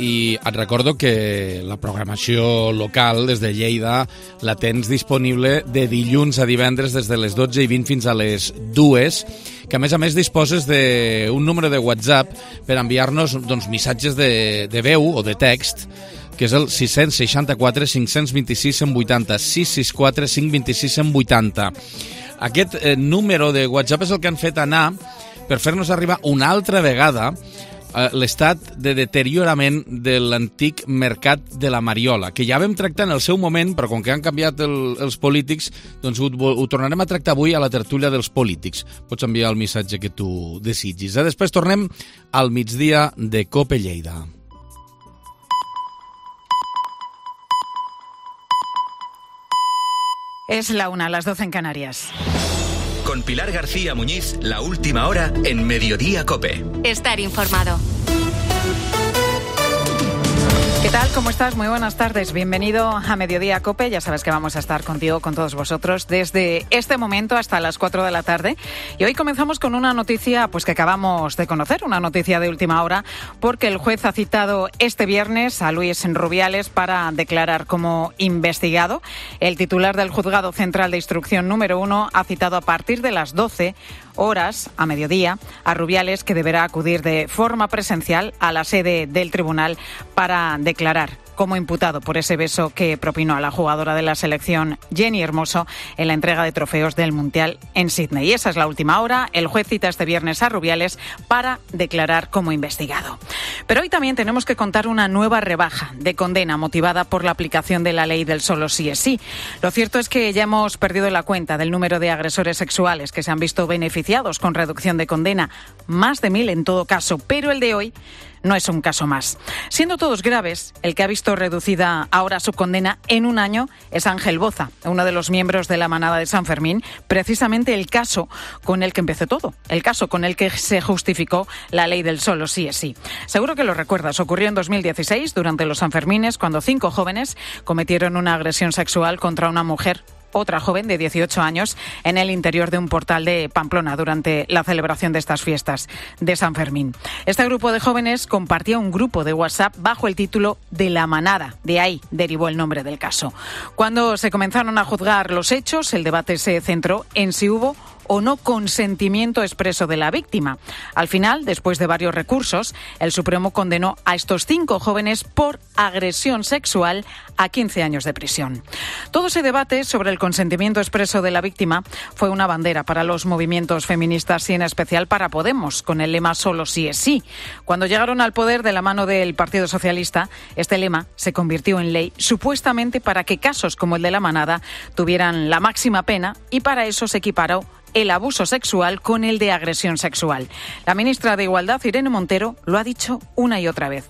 i et recordo que la programació local des de Lleida la tens disponible de dilluns a divendres des de les 12:20 fins a les 2, que a més disposes d'un número de WhatsApp per enviar-nos doncs, missatges de veu o de text, que és el 664 526 180, 664 526 180. Aquest número de WhatsApp és el que han fet anar per fer-nos arribar una altra vegada l'estat de deteriorament de l'antic mercat de la Mariola, que ja vam tractar en el seu moment, però com que han canviat els polítics, doncs ho tornarem a tractar avui a la tertúlia dels polítics. Pots enviar el missatge que tu desitgis. Després tornem al migdia de COPE Lleida. Es la 1, las 12 en Canarias. Con Pilar García Muñiz, la última hora en Mediodía COPE. Estar informado. ¿Qué tal? ¿Cómo estás? Muy buenas tardes. Bienvenido a Mediodía COPE. Ya sabes que vamos a estar contigo, con todos vosotros, desde este momento hasta las 4 de la tarde. Y hoy comenzamos con una noticia pues que acabamos de conocer, una noticia de última hora, porque el juez ha citado este viernes a Luis Rubiales para declarar como investigado. El titular del Juzgado Central de Instrucción número 1 ha citado a partir de las 12 horas, a mediodía, a Rubiales, que deberá acudir de forma presencial a la sede del tribunal para declarar como imputado por ese beso que propinó a la jugadora de la selección Jenny Hermoso en la entrega de trofeos del Mundial en Sydney. Y esa es la última hora. El juez cita este viernes a Rubiales para declarar como investigado. Pero hoy también tenemos que contar una nueva rebaja de condena motivada por la aplicación de la ley del solo sí es sí. Lo cierto es que ya hemos perdido la cuenta del número de agresores sexuales que se han visto beneficiados con reducción de condena, más de 1.000 en todo caso, pero el de hoy no es un caso más. Siendo todos graves, el que ha visto reducida ahora su condena en un año es Ángel Boza, uno de los miembros de la manada de San Fermín, precisamente el caso con el que empezó todo, el caso con el que se justificó la ley del solo sí es sí. Seguro que lo recuerdas, ocurrió en 2016, durante los Sanfermines, cuando 5 jóvenes cometieron una agresión sexual contra una mujer, otra joven de 18 años, en el interior de un portal de Pamplona durante la celebración de estas fiestas de San Fermín. Este grupo de jóvenes compartía un grupo de WhatsApp bajo el título de La Manada. De ahí derivó el nombre del caso. Cuando se comenzaron a juzgar los hechos, el debate se centró en si hubo o no consentimiento expreso de la víctima. Al final, después de varios recursos, el Supremo condenó a estos 5 jóvenes por agresión sexual a 15 años de prisión. Todo ese debate sobre el consentimiento expreso de la víctima fue una bandera para los movimientos feministas y en especial para Podemos, con el lema solo sí es sí. Cuando llegaron al poder de la mano del Partido Socialista, este lema se convirtió en ley supuestamente para que casos como el de La Manada tuvieran la máxima pena y para eso se equiparó el abuso sexual con el de agresión sexual. La ministra de Igualdad, Irene Montero, lo ha dicho una y otra vez.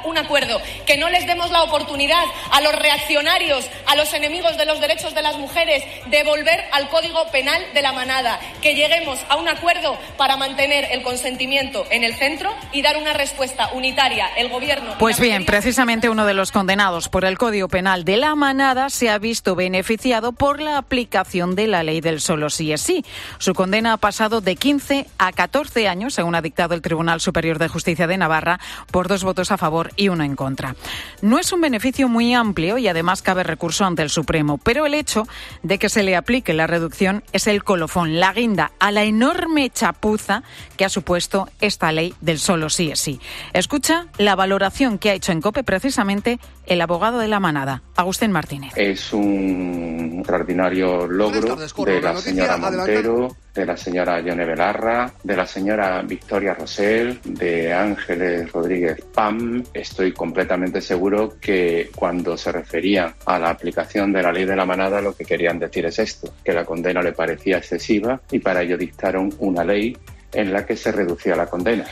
Un acuerdo, que no les demos la oportunidad a los reaccionarios, a los enemigos de los derechos de las mujeres, de volver al Código Penal de la Manada, que lleguemos a un acuerdo para mantener el consentimiento en el centro y dar una respuesta unitaria. El Gobierno... Pues bien, precisamente uno de los condenados por el Código Penal de la Manada se ha visto beneficiado por la aplicación de la ley del solo sí es sí. Su condena ha pasado de 15 a 14 años, según ha dictado el Tribunal Superior de Justicia de Navarra, por 2 votos a favor y 1 en contra. No es un beneficio muy amplio y además cabe recurso ante el Supremo, pero el hecho de que se le aplique la reducción es el colofón, la guinda a la enorme chapuza que ha supuesto esta ley del solo sí es sí. Escucha la valoración que ha hecho en COPE precisamente el abogado de la Manada, Agustín Martínez. Es un extraordinario logro de la señora Montero, de la señora Yone Belarra, de la señora Victoria Rosell, de Ángeles Rodríguez Pam. Estoy completamente seguro que cuando se referían a la aplicación de la ley de la Manada lo que querían decir es esto, que la condena le parecía excesiva y para ello dictaron una ley en la que se reducía la condena.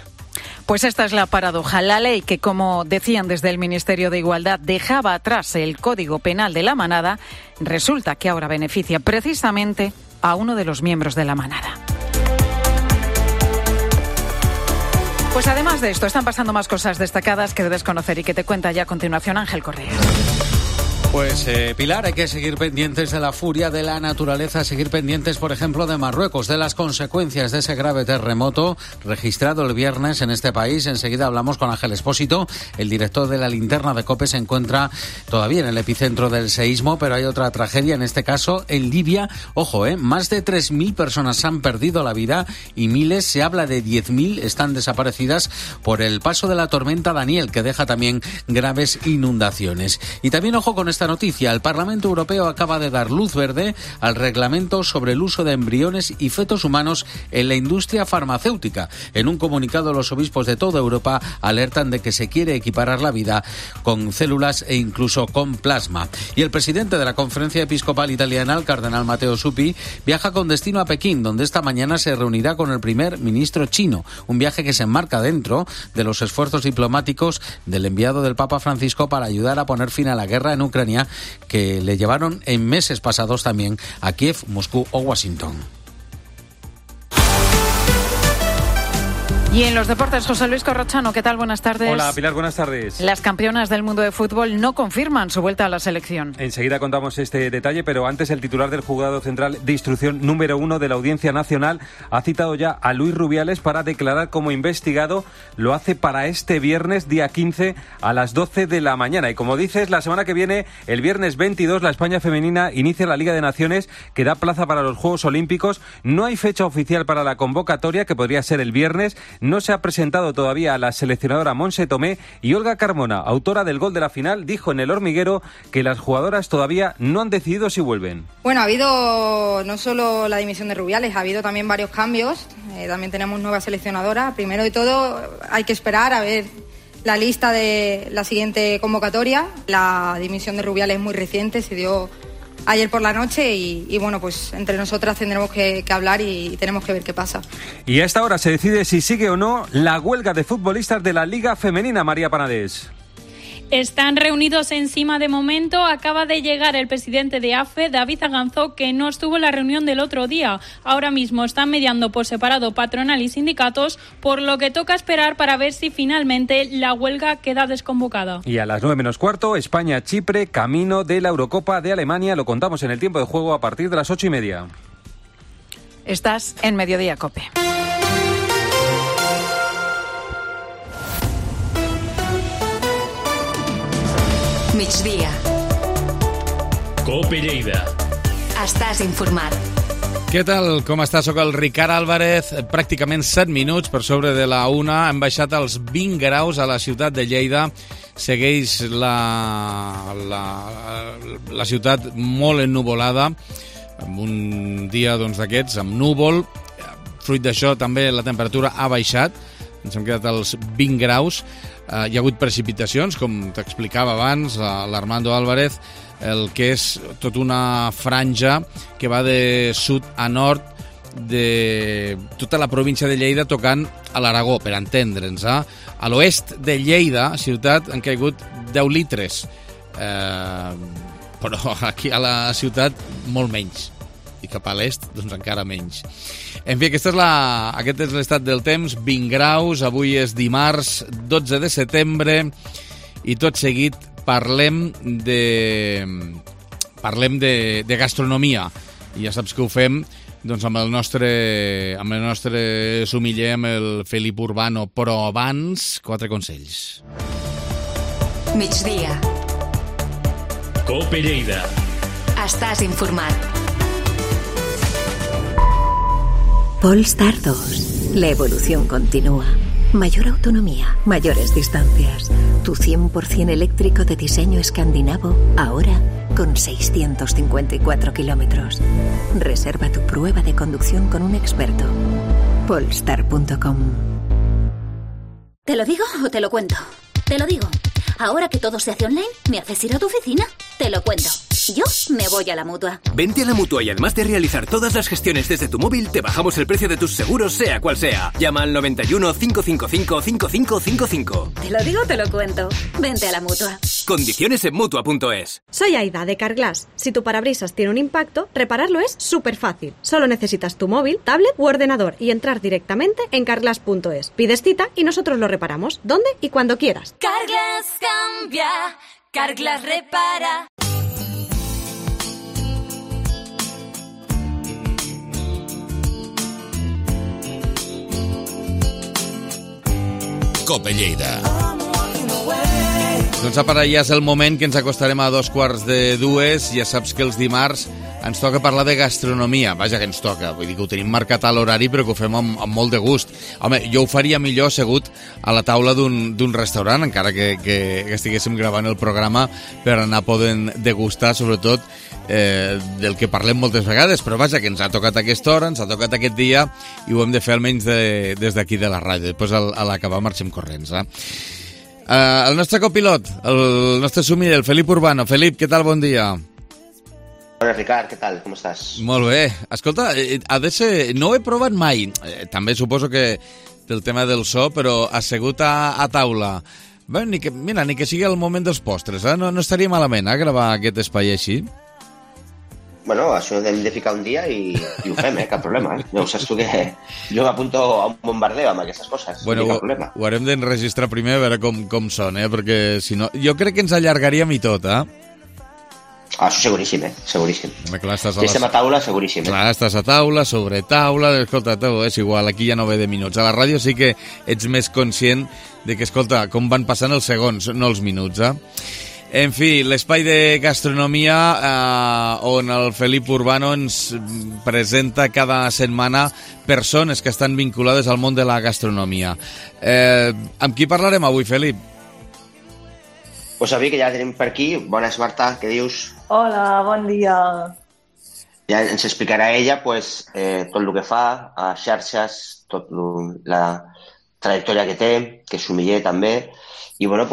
Pues esta es la paradoja. La ley que, como decían desde el Ministerio de Igualdad, dejaba atrás el Código Penal de la Manada, resulta que ahora beneficia precisamente a uno de los miembros de la Manada. Pues además de esto, están pasando más cosas destacadas que debes conocer y que te cuenta ya a continuación Ángel Correa. Pues Pilar, hay que seguir pendientes de la furia de la naturaleza, seguir pendientes, por ejemplo, de Marruecos, de las consecuencias de ese grave terremoto registrado el viernes en este país. Enseguida hablamos con Ángel Espósito, el director de la Linterna de COPE. Se encuentra todavía en el epicentro del seísmo, pero hay otra tragedia, en este caso en Libia. Ojo, más de 3.000 personas han perdido la vida y miles, se habla de 10.000, están desaparecidas por el paso de la tormenta Daniel, que deja también graves inundaciones. Y también ojo con esta noticia: el Parlamento Europeo acaba de dar luz verde al reglamento sobre el uso de embriones y fetos humanos en la industria farmacéutica. En un comunicado, los obispos de toda Europa alertan de que se quiere equiparar la vida con células e incluso con plasma. Y el presidente de la Conferencia Episcopal Italiana, el cardenal Matteo Zuppi, viaja con destino a Pekín, donde esta mañana se reunirá con el primer ministro chino. Un viaje que se enmarca dentro de los esfuerzos diplomáticos del enviado del Papa Francisco para ayudar a poner fin a la guerra en Ucrania, que le llevaron en meses pasados también a Kiev, Moscú o Washington. Y en los deportes, José Luis Corrochano, ¿qué tal? Buenas tardes. Hola, Pilar, buenas tardes. Las campeonas del mundo de fútbol no confirman su vuelta a la selección. Enseguida contamos este detalle, pero antes el titular del Juzgado Central de Instrucción número 1 de la Audiencia Nacional ha citado ya a Luis Rubiales para declarar como investigado. Lo hace para este viernes, día 15, a las 12 de la mañana. Y como dices, la semana que viene, el viernes 22, la España femenina inicia la Liga de Naciones, que da plaza para los Juegos Olímpicos. No hay fecha oficial para la convocatoria, que podría ser el viernes. No se ha presentado todavía a la seleccionadora Montse Tomé, y Olga Carmona, autora del gol de la final, dijo en El Hormiguero que las jugadoras todavía no han decidido si vuelven. Bueno, ha habido no solo la dimisión de Rubiales, ha habido también varios cambios. También tenemos nueva seleccionadora. Primero de todo, hay que esperar a ver la lista de la siguiente convocatoria. La dimisión de Rubiales es muy reciente, se dio ayer por la noche y bueno, pues entre nosotras tendremos que hablar y tenemos que ver qué pasa. Y a esta hora se decide si sigue o no la huelga de futbolistas de la Liga Femenina, María Panadés. Están reunidos encima de momento. Acaba de llegar el presidente de AFE, David Aganzó, que no estuvo en la reunión del otro día. Ahora mismo están mediando por separado patronal y sindicatos, por lo que toca esperar para ver si finalmente la huelga queda desconvocada. Y a las 9:15, España-Chipre, camino de la Eurocopa de Alemania. Lo contamos en el tiempo de juego a partir de las 8:30. Estás en Mediodía COPE. Migdia. COPE Lleida. Estàs informat. Què tal? Com està? Soc el Ricard Álvarez. Pràcticament 7 minuts per sobre de la 1. Hem baixat als 20 graus a la ciutat de Lleida. Segueix la ciutat molt ennuvolada, amb un dia d'aquests, amb núvol. Fruit d'això també la temperatura ha baixat. Ens hem quedat als 20 graus. Hi ha hagut precipitacions, com t'explicava abans l'Armando Álvarez, el que és tot una franja que va de sud a nord de tota la província de Lleida, tocant a l'Aragó, per entendre'ns. A l'oest de Lleida, ciutat, han caigut 10 litres, però aquí a la ciutat molt menys, i cap a l'est doncs encara menys. En fi, aquest és l'estat del temps, 20 graus, avui és dimarts 12 de setembre i tot seguit parlem de gastronomia. I ja saps que ho fem doncs amb el nostre sumiller, amb el Felip Urbano, però abans 4 consells. Migdia. COPE Lleida. Estàs informat. Polestar 2. La evolución continúa. Mayor autonomía, mayores distancias. Tu 100% eléctrico de diseño escandinavo, ahora con 654 kilómetros. Reserva tu prueba de conducción con un experto. Polestar.com. ¿Te lo digo o te lo cuento? Te lo digo. Ahora que todo se hace online, ¿me haces ir a tu oficina? Te lo cuento. Yo me voy a la Mutua. Vente a la Mutua y además de realizar todas las gestiones desde tu móvil, te bajamos el precio de tus seguros, sea cual sea. Llama al 91 555 5555. Te lo digo, te lo cuento. Vente a la Mutua. Condiciones en Mutua.es. Soy Aida de Carglass. Si tu parabrisas tiene un impacto, repararlo es súper fácil. Solo necesitas tu móvil, tablet u ordenador y entrar directamente en Carglass.es. Pides cita y nosotros lo reparamos, donde y cuando quieras. Carglass cambia, Carglass repara. Cope Lleida. Doncs ara ja és el moment que ens acostarem a 2:45. Ja saps que els dimarts ens toca parlar de gastronomia. Vaja, que ens toca. Vull dir que ho tenim marcat a l'horari, però que ho fem amb molt de gust. Home, jo ho faria millor assegut a la taula d'un restaurant, encara que estiguéssim gravant el programa per anar podent degustar, sobretot, del que parlem moltes vegades. Però vaja, que ens ha tocat aquesta hora, ens ha tocat aquest dia, i ho hem de fer almenys des d'aquí de la ràdio. Després, a l'acabar, marxem corrents, el nostre copilot, el nostre sumiller, el Felip Urbano. Felip, què tal? Bon dia. Hola, Ricard, què tal? Com estàs? Molt bé. Escolta, ha de ser... No ho he provat mai. També suposo que del tema del so, però assegut a taula. Bé, ni que sigui el moment dels postres, no estaria malament, gravar aquest espai així. Bueno, això hem de ficar un dia i ho fem, cap problema. Ja ho saps tu que jo m'apunto a un bombardeo amb aquestes coses. Bueno, ho haurem d'enregistrar primer a veure com són, perquè si no... Jo crec que ens allargaríem i tot, Això seguríssim, seguríssim. Clar, si estem a taula, seguríssim. Clar, estàs a taula, sobre taula, escolta, és igual, aquí ja no ve de minuts. A la ràdio sí que ets més conscient de que, escolta, com van passant els segons, no els minuts, En fi, l'espai de gastronomia on el Felip Urbano ens presenta cada setmana persones que estan vinculades al món de la gastronomia. Amb qui parlarem avui, Felip? Pues avui que ja tenim per aquí. Bones, Marta, què dius? Hola, bon dia. Ja ens explicarà ella tot el que fa a xarxes, tot la trajectòria que té, que és sumiller també, i bueno,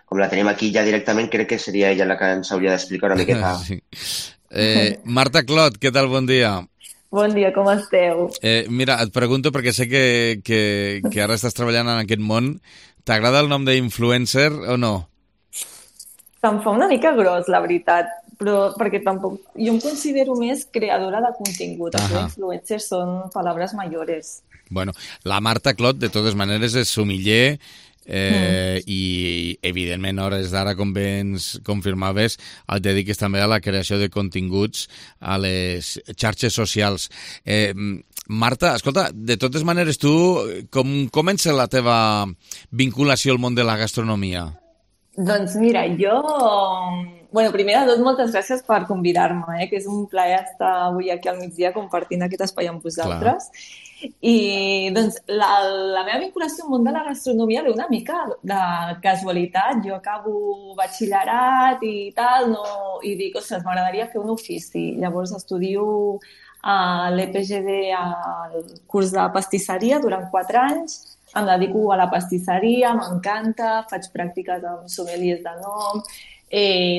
com la tenim aquí ja directament, crec que seria ella la que ens hauria d'explicar una miqueta. Sí. Marta Clot, què tal? Bon dia. Bon dia, com esteu? Mira, et pregunto perquè sé que ara estàs treballant en aquest món. T'agrada el nom d'influencer o no? Se'm fa una mica gros, la veritat, però perquè tampoc... Jo em considero més creadora de contingut. Els influencers són paraules mayores. Bueno, la Marta Clot, de totes maneres, és sumiller, i evidentment a hores d'ara, com bé ens confirmaves, et dediques també a la creació de continguts a les xarxes socials. Marta, escolta, de totes maneres, tu com comença la teva vinculació al món de la gastronomia? Doncs mira, jo... Bueno, primer de tot, moltes gràcies per convidar-me, que és un plaer estar avui aquí al migdia compartint aquest espai amb vosaltres. Clar. I doncs la meva vinculació al món de la gastronomia ve una mica de casualitat. Jo acabo batxillerat i tal, i dic, ostres, m'agradaria fer un ofici. Llavors estudio a l'EPGD al curs de pastisseria durant 4 anys. Em dedico a la pastisseria, m'encanta, faig pràctiques amb sommeliers de nom,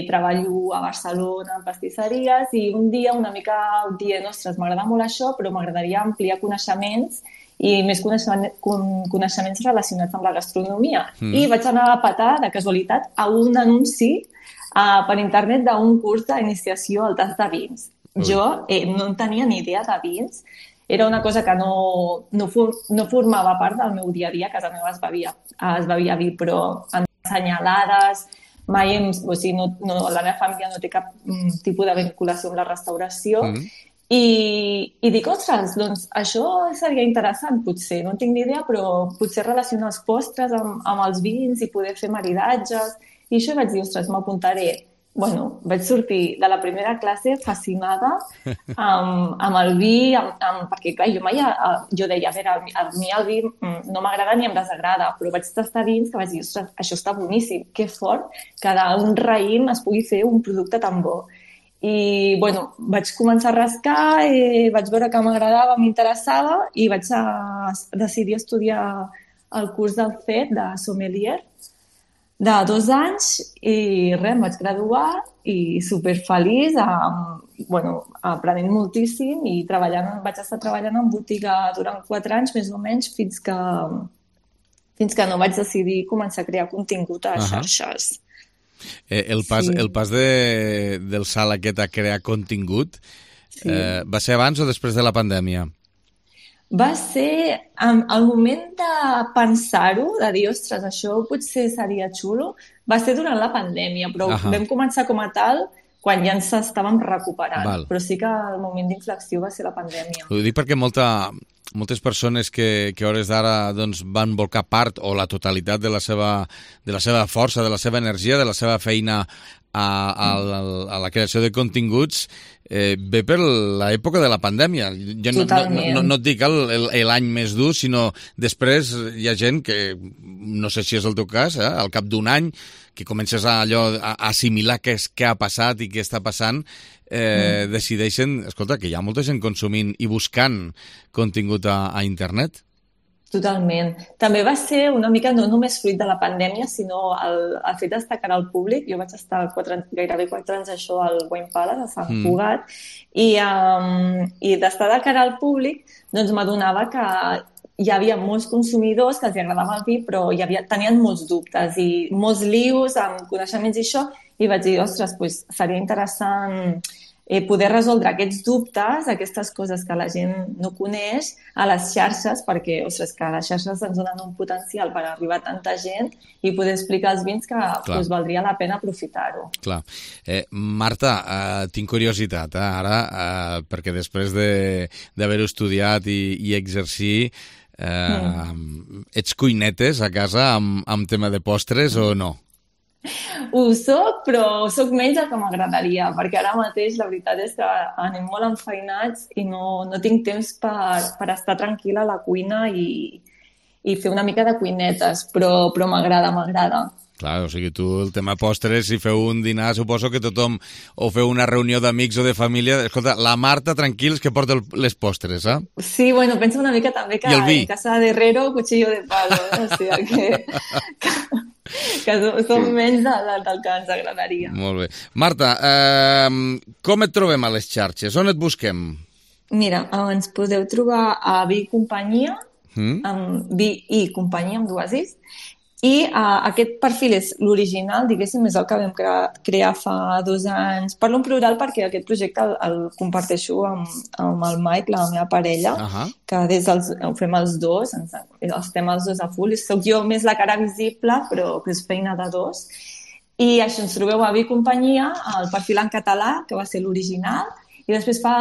treballo a Barcelona en pastisseries i un dia una mica dient, ostres, m'agrada molt això, però m'agradaria ampliar coneixements i més coneixements relacionats amb la gastronomia. I vaig anar a petar, de casualitat, a un anunci per internet d'un curs d'iniciació al tast de vins. Jo no en tenia ni idea de vins, era una cosa que no formava part del meu dia a dia, a casa meva es bevia vi, però ensenyalades, mai la meva família no té cap tipus de vinculació amb la restauració i dic, ostres, doncs això seria interessant potser, no en tinc ni idea, però potser relacionar els postres amb els vins i poder fer maridatges i això vaig dir, ostres, m'apuntaré. Bueno, vaig sortir de la primera classe fascinada amb el vi, perquè clar, jo deia, a veure, a mi el vi no m'agrada ni em desagrada, però vaig tastar vins que vaig dir, ostres, això està boníssim, que fort que d'un raïm es pugui fer un producte tan bo. I, bueno, vaig començar a rascar, vaig veure que m'agradava, m'interessava i vaig decidir estudiar el curs del CET de sommelier de 2 anys i res, em vaig graduar i superfeliç, aprenent moltíssim i vaig estar treballant en botiga durant 4 anys més o menys fins que no vaig decidir començar a crear contingut a xarxes. El pas del salt aquest a crear contingut va ser abans o després de la pandèmia? Va ser el moment de pensar-ho, de dir, ostres, això potser seria xulo, va ser durant la pandèmia, però vam començar com a tal quan ja ens estàvem recuperant. Però sí que el moment d'inflexió va ser la pandèmia. Ho dic perquè moltes persones que a hores d'ara doncs, van volcar part o la totalitat de la seva força, de la seva energia, de la seva feina a la creació de continguts, ve per l'època de la pandèmia. Jo no et dic l'any més dur, sinó després hi ha gent que, no sé si és el teu cas, al cap d'un any, que comences a assimilar què ha passat i què està passant, decideixen, escolta, que hi ha molta gent consumint i buscant contingut a internet. Totalment. També va ser una mica no només fruit de la pandèmia, sinó el fet d'estar cara al públic. Jo vaig estar gairebé 4 anys això al Wine Palace, a Sant Cugat, i d'estar de cara al públic doncs m'adonava que hi havia molts consumidors que els agradava el vi, però tenien molts dubtes i molts lius amb coneixements i això, i vaig dir, ostres, doncs seria interessant poder resoldre aquests dubtes, aquestes coses que la gent no coneix a les xarxes, perquè, ostres, que les xarxes ens donen un potencial per arribar a tanta gent i poder explicar als vins que doncs, valdria la pena aprofitar-ho. Clar. Marta, tinc curiositat, ara, perquè després d'haver-ho estudiat i exercir, ets cuinetes a casa amb tema de postres o no? Ho soc, però soc menys del que m'agradaria, perquè ara mateix la veritat és que anem molt enfeinats i no tinc temps per estar tranquil·la a la cuina i fer una mica de cuinetes, però m'agrada. Clar, o sigui, tu el tema postres, si feu un dinar, suposo que tothom, o feu una reunió d'amics o de família, escolta, la Marta, tranquils, que porta les postres, eh? Sí, bueno, penso una mica també que en casa de Herrero, cuchillo de palo, o sigui que som menys del que ens agradaria. Molt bé. Marta, com et trobem a les xarxes? On et busquem? Mira, ens podeu trobar a Vi i Companyia, amb Vi i Companyia, amb dues is, i aquest perfil és l'original, diguéssim, és el que vam crear fa 2 anys. Parlo en plural perquè aquest projecte el comparteixo amb el Mike, la meva parella, que ho fem els dos, estem els dos a full. Soc jo més la cara visible, però que és feina de 2. I això, ens trobeu a Vi i Companyia, el perfil en català, que va ser l'original, i després fa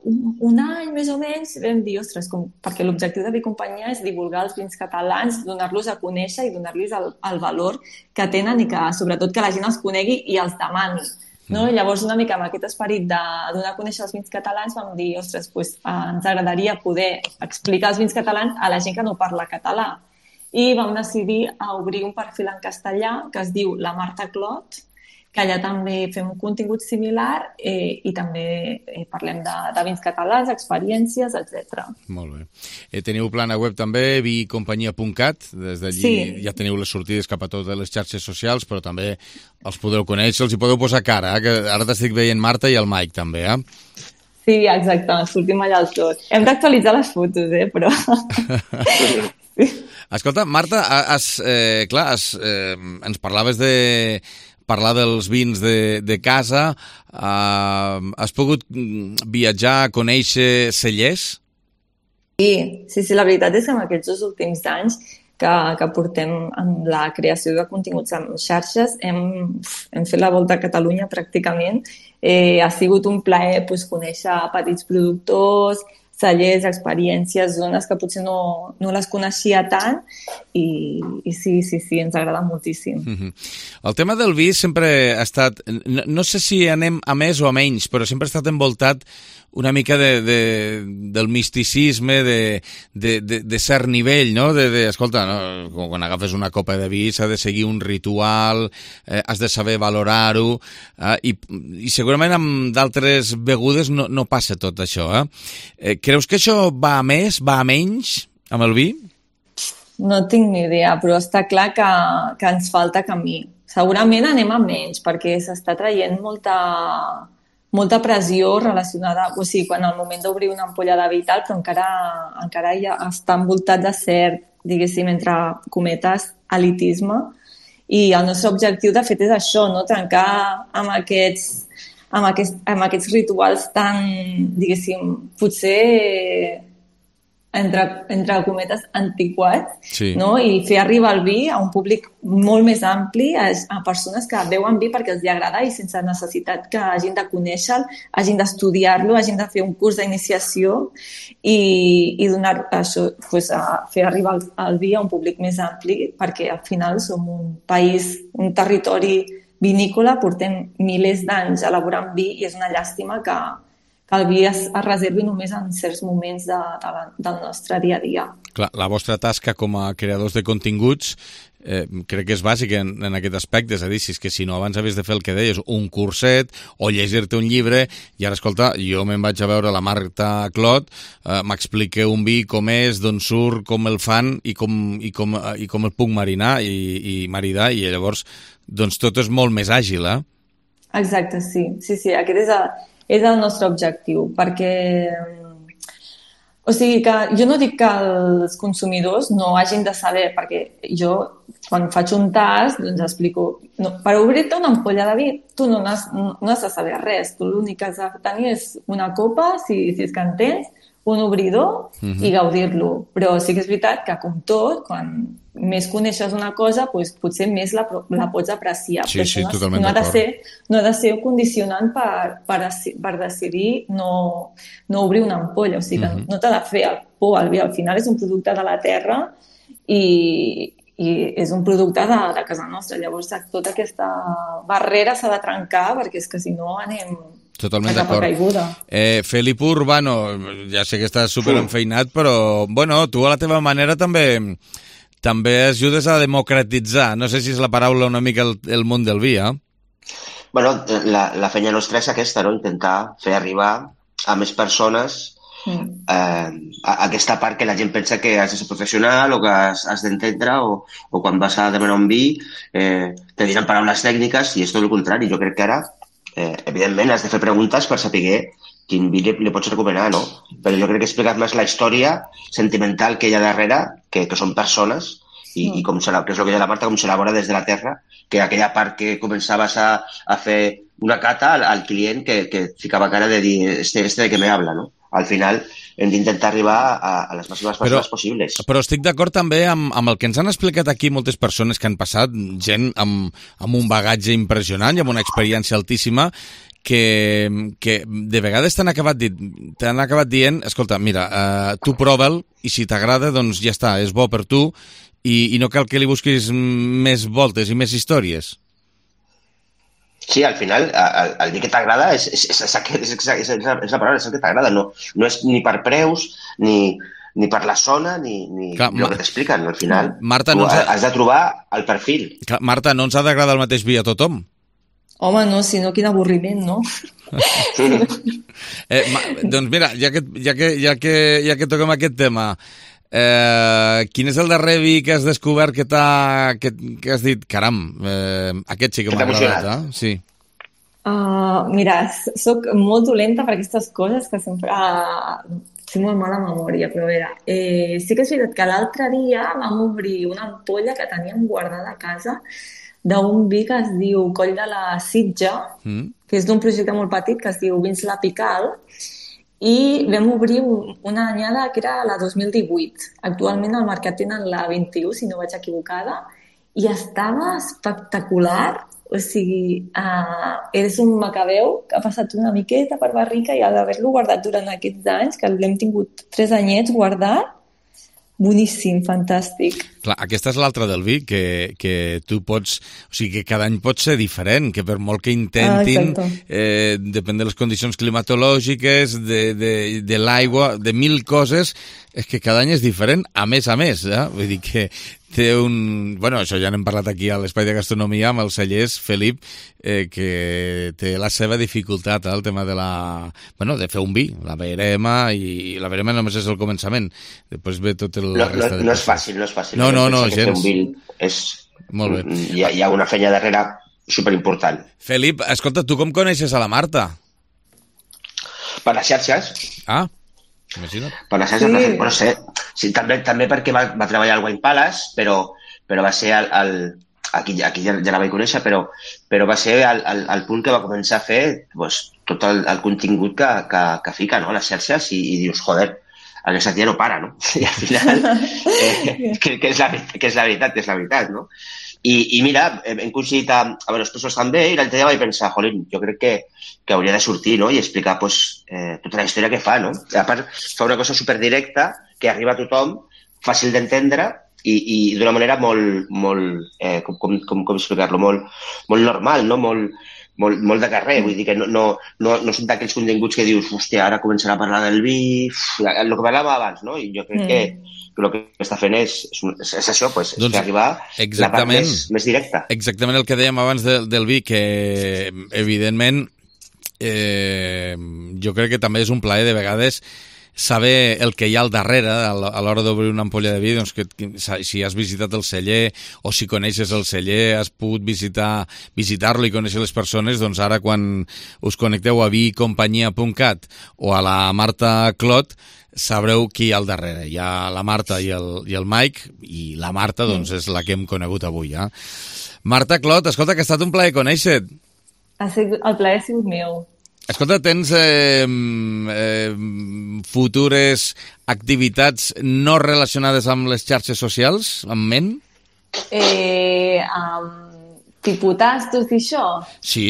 un any, més o menys, vam dir, ostres, perquè l'objectiu de Vi i Companyia és divulgar els vins catalans, donar-los a conèixer i donar-los el valor que tenen i que, sobretot, que la gent els conegui i els demani. No? Llavors, una mica amb aquest esperit de donar a conèixer els vins catalans, vam dir, ostres, ens agradaria poder explicar els vins catalans a la gent que no parla català. I vam decidir obrir un perfil en castellà que es diu La Marta Clot, que allà també fem un contingut similar i també parlem de vins catalans, experiències, etc. Molt bé. Teniu plana web també, vicompanyia.cat, des d'allí ja teniu les sortides cap a totes les xarxes socials, però també els podeu conèixer, els hi podeu posar cara, que ara t'estic veient Marta i el Mike també, Sí, exacte, sortim allà els dos. Hem d'actualitzar les fotos, però... Escolta, Marta, ens parlaves de parlar dels vins de casa. Has pogut viatjar, conèixer cellers? Sí, la veritat és que en aquests 2 últims anys que portem amb la creació de continguts en xarxes hem fet la volta a Catalunya pràcticament. Ha sigut un plaer conèixer petits productors, cellers, experiències, zones que potser no les coneixia tant i sí, ens agrada moltíssim. El tema del vi sempre ha estat, no sé si anem a més o a menys, però sempre ha estat envoltat una mica del misticisme, de cert nivell, no? Escolta, quan agafes una copa de vi s'ha de seguir un ritual, has de saber valorar-ho, i segurament amb d'altres begudes no passa tot això. Creus que això va a més, va a menys amb el vi? No tinc ni idea, però està clar que ens falta camí. Segurament anem a menys, perquè s'està traient molta pressió relacionada, o sigui, quan al moment d'obrir una ampolla de vi i tal, però encara ja està envoltat de cert, diguéssim, entre cometes, elitisme, i el nostre objectiu, de fet, és això, no? Trencar amb aquests rituals tan, diguéssim, potser entre cometes, antiquats, no? I fer arribar el vi a un públic molt més ampli, a persones que beuen vi perquè els agrada i sense necessitat que hagin de conèixer-lo, hagin d'estudiar-lo, hagin de fer un curs d'iniciació i donar això, pues, a fer arribar el vi a un públic més ampli, perquè al final som un país, un territori vinícola, portem milers d'anys elaborant vi i és una llàstima que el vi es reservi només en certs moments del nostre dia a dia. Clar, la vostra tasca com a creadors de continguts crec que és bàsica en aquest aspecte, és a dir, si no abans havies de fer el que deies, un curset o llegir-te un llibre, i ara, escolta, jo me'n vaig a veure la Marta Clot, m'explica un vi com és, d'on surt, com el fan i com el puc marinar i maridar, i llavors doncs tot és molt més àgil, eh? Exacte, sí, aquest és el nostre objectiu, perquè o sigui que jo no dic que els consumidors no hagin de saber, perquè jo quan faig un tast doncs explico, per obrir-te una ampolla de vi tu no has de saber res, tu l'únic que has de tenir és una copa, si és que en tens, un obridor i gaudir-lo, però sí que és veritat que com tot, quan més coneixes una cosa, doncs potser més la pots apreciar. Sí, totalment d'acord. No ha de ser condicionant per decidir no obrir una ampolla. O sigui, no t'ha de fer por al vi. Al final és un producte de la terra i és un producte de casa nostra. Llavors, tota aquesta barrera s'ha de trencar perquè és que si no anem... Totalment d'acord. Felip Urbano, ja sé que estàs superenfeinat, però bueno, tu a la teva manera també ajudes a democratitzar, no sé si és la paraula una mica el món del vi, eh? Bueno, la feina nostra és aquesta, no? Intentar fer arribar a més persones aquesta part que la gent pensa que has de ser professional o que has d'entendre o quan vas a demanar un vi te diran paraules tècniques i és tot el contrari. Jo crec que ara evidentment has de fer preguntes per saber quin vi li pots recomanar, no? Però jo crec que he explicat més la història sentimental que hi ha darrere, que són persones, i que és el que deia la Marta, com s'elabora des de la terra, que aquella part que començaves a fer una cata al client que ficava cara de dir este de què me habla, no? Al final hem d'intentar arribar a les màximes persones possibles. Però estic d'acord també amb el que ens han explicat aquí moltes persones que han passat, gent amb un bagatge impressionant i amb una experiència altíssima, que de vegades t'han acabat dient, escolta, mira, tu prova'l i si t'agrada, doncs ja està, és bo per tu i no cal que li busquis més voltes i més històries. Sí, al final, el dir que t'agrada és la paraula, és el que t'agrada. No és ni per preus, ni per la zona, ni el que t'expliquen. Al final, Marta, has de trobar el perfil. Marta, no ens ha d'agradar el mateix vi a tothom? Home, no, si no, quin avorriment, no? Doncs mira, ja que toquem aquest tema, quin és el darrer vi que has descobert que has dit, caram, aquest sí que m'ha agradat, eh? Sí. Mira, soc molt dolenta per aquestes coses que sempre... Tinc molt mala memòria, però a veure, sí que és veritat que l'altre dia vam obrir una ampolla que teníem guardada a casa d'un vi que es diu Coll de la Sitja, que és d'un projecte molt petit que es diu Vins La Pical, i vam obrir una anyada que era la 2018. Actualment al mercat tenen la 21, si no vaig equivocada, i estava espectacular. O sigui, és un macabeu que ha passat una miqueta per barrica i d'haver-lo guardat durant aquests anys, que l'hem tingut 3 anyets guardat, boníssim, fantàstic. Clar, aquesta és l'altra del vi, que tu pots... O sigui, que cada any pot ser diferent, que per molt que intentin, depèn de les condicions climatològiques, de l'aigua, de 1000 coses, és que cada any és diferent, a més, Vull dir que té un... Bueno, això ja n'hem parlat aquí a l'Espai de Gastronomia amb els cellers, Felip, que té la seva dificultat, el tema de de fer un vi, la verema, i la verema només és el començament. Després ve tot el resta de... No és fàcil, No, gens. Molt bé. Hi ha una feina darrere superimportant. Felip, escolta, tu com coneixes a la Marta? Per les xarxes. Imagina't. Per les xarxes, però sé. Sí, també perquè va treballar al Wine Palace, però va ser aquí ja la vaig conèixer, però va ser el punt que va començar a fer tot el contingut que fica, no?, a les xarxes i dius, joder, aquesta tia no para, no? I al final, que és la veritat, no? I mira, hem coincidit a veure els professors també, i l'altre dia vaig pensar, jolín, jo crec que hauria de sortir, no?, i explicar pues, tota la història que fa, no? A part, fa una cosa superdirecta que arriba a tothom, fàcil d'entendre i d'una manera molt com explicar-lo, molt normal, no? Molt de carrer, vull dir que no són d'aquells continguts que dius, hòstia, ara començarà a parlar del vi, el que parlàvem abans, no? I jo crec que el que està fent és això, pues, doncs, és arribar la part més directa. Exactament el que dèiem abans del vi, que evidentment jo crec que també és un plaer de vegades saber el que hi ha al darrere a l'hora d'obrir una ampolla de vi, doncs que si has visitat el celler o si coneixes el celler, has pogut visitar-lo i conèixer les persones, doncs ara quan us connecteu a vicompanyia.cat o a la Marta Clot, sabreu qui hi ha al darrere. Hi ha la Marta i el Mike, i la Marta doncs és la que hem conegut avui. Marta Clot, escolta, que ha estat un plaer conèixer-te. El plaer ha sigut meu. Escolta, tens futures activitats no relacionades amb les xarxes socials, en ment? Tipus tastos i això? Sí,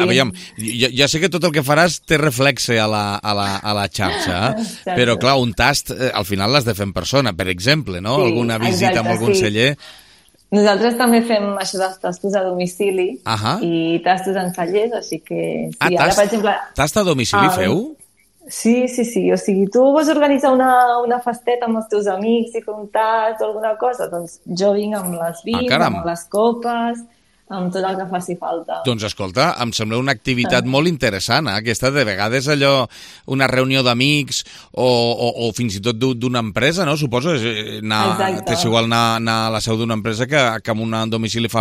aviam, ja sé que tot el que faràs té reflexe a la xarxa, però clar, un tast al final l'has de fer en persona, per exemple, no? Sí, alguna visita amb algun celler. Nosaltres també fem això dels tastos a domicili i tastos en cellers, així que... Sí, ara, per exemple, tast a domicili feu? Sí, o sigui, tu vols organitzar una festeta amb els teus amics i fer un tast o alguna cosa, doncs jo vinc amb les vins, amb les copes, amb tot el que faci falta. Doncs escolta, em sembla una activitat molt interessant, aquesta de vegades allò, una reunió d'amics o fins i tot d'una empresa, no? Suposo que és igual anar a la seu d'una empresa que amb un domicili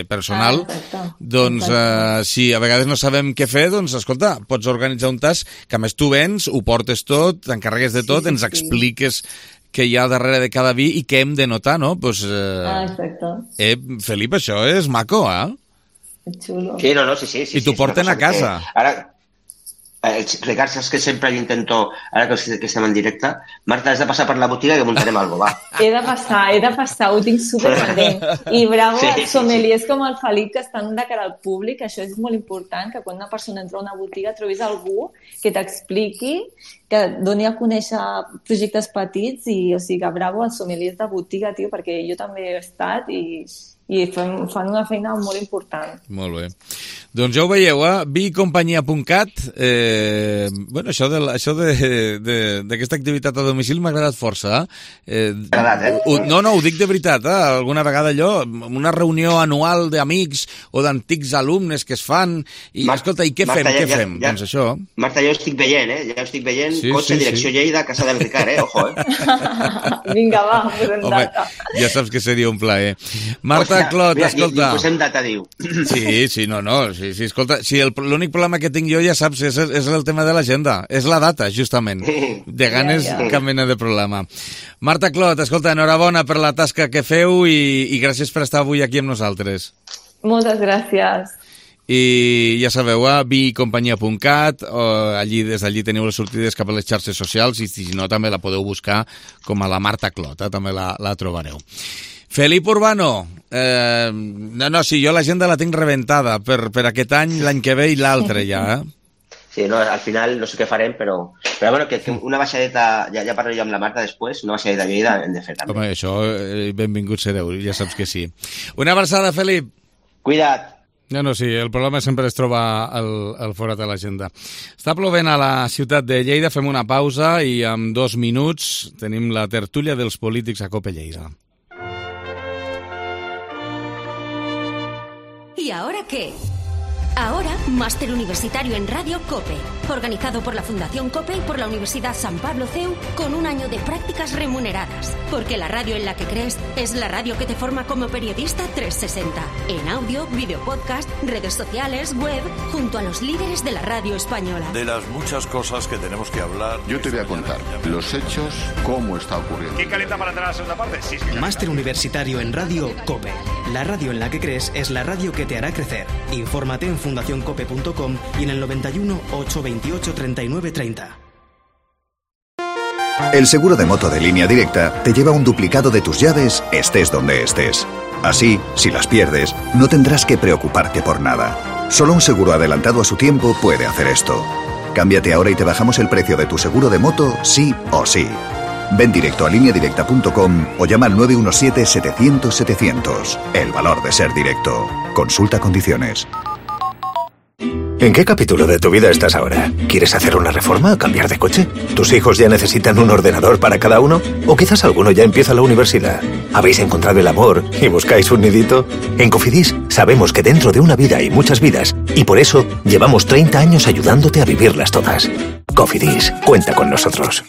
personal. Doncs si a vegades no sabem què fer, doncs escolta, pots organitzar un tast que a més tu vens, ho portes tot, t'encarregues de tot, ens expliques que hi ha darrere de cada vi i què hem de notar, no? Pues, exacte. Felip, això és maco, Xulo. Sí, sí. I t'ho porten a casa. Ara, Ricard, saps que sempre intento, ara que estem en directe, Marta, has de passar per la botiga i que muntarem alguna cosa, va. He de passar, ho tinc superpendent. I bravo, sommeliers com el Felip, que estan de cara al públic, això és molt important, que quan una persona entra a una botiga trobis algú que t'expliqui, que doni a conèixer projectes petits, i o sigui que bravo als sommeliers de botiga, tio, perquè jo també he estat i fan una feina molt important. Molt bé. Doncs ja ho veieu, vicompanyia.cat. Bueno, això d'aquesta activitat a domicili m'ha agradat força. No, ho dic de veritat. Alguna vegada allò, una reunió anual d'amics o d'antics alumnes que es fan, i escolta, i què fem? Doncs això. Marta, jo estic veient, ja estic veient, cotxe, direcció Lleida, casa del Ricard, ojo, Vinga, va, posem data. Ja saps que seria un plaer. Marta Clot, escolta... I posem data, diu. Sí, escolta, l'únic problema que tinc jo, ja saps, és el tema de l'agenda, és la data, justament. De ganes, cap mena de problema. Marta Clot, escolta, enhorabona per la tasca que feu i gràcies per estar avui aquí amb nosaltres. Moltes gràcies. I ja sabeu, vicompanyia.cat, des d'allí teniu les sortides cap a les xarxes socials, i si no també la podeu buscar com a la Marta Clot, també la trobareu. Felip Urbano, sí, jo l'agenda la tinc rebentada per aquest any, l'any que ve i l'altre ja, Sí, no, al final no sé què farem, però bueno, que una baixadeta, ja parlo jo amb la Marta després, una baixadeta a Lleida hem de fer també. Home, això, benvinguts sereu, ja saps que sí. Una abraçada, Felip. Cuida't. No, sí, el problema sempre es troba al forat de l'agenda. Està plovent a la ciutat de Lleida, fem una pausa i en 2 minuts tenim la tertúlia dels polítics a COPE Lleida. ¿Y ahora qué? Ahora, Máster Universitario en Radio COPE, organizado por la Fundación COPE y por la Universidad San Pablo CEU, con un año de prácticas remuneradas. Porque la radio en la que crees es la radio que te forma como periodista 360. En audio, video podcast, redes sociales, web, junto a los líderes de la radio española. De las muchas cosas que tenemos que hablar. Yo te voy a contar los hechos, cómo está ocurriendo. ¿Quién calienta para entrar a la segunda parte? Sí. Máster Universitario en Radio COPE. La radio en la que crees es la radio que te hará crecer. Infórmate en fundacioncope.com y en el 91 828 39 30. El seguro de moto de Línea Directa te lleva un duplicado de tus llaves, estés donde estés. Así, si las pierdes, no tendrás que preocuparte por nada. Solo un seguro adelantado a su tiempo puede hacer esto. Cámbiate ahora y te bajamos el precio de tu seguro de moto, sí o sí. Ven directo a lineadirecta.com o llama al 917-700-700. El valor de ser directo. Consulta condiciones. ¿En qué capítulo de tu vida estás ahora? ¿Quieres hacer una reforma o cambiar de coche? ¿Tus hijos ya necesitan un ordenador para cada uno? ¿O quizás alguno ya empieza la universidad? ¿Habéis encontrado el amor y buscáis un nidito? En Cofidis sabemos que dentro de una vida hay muchas vidas y por eso llevamos 30 años ayudándote a vivirlas todas. Cofidis, cuenta con nosotros.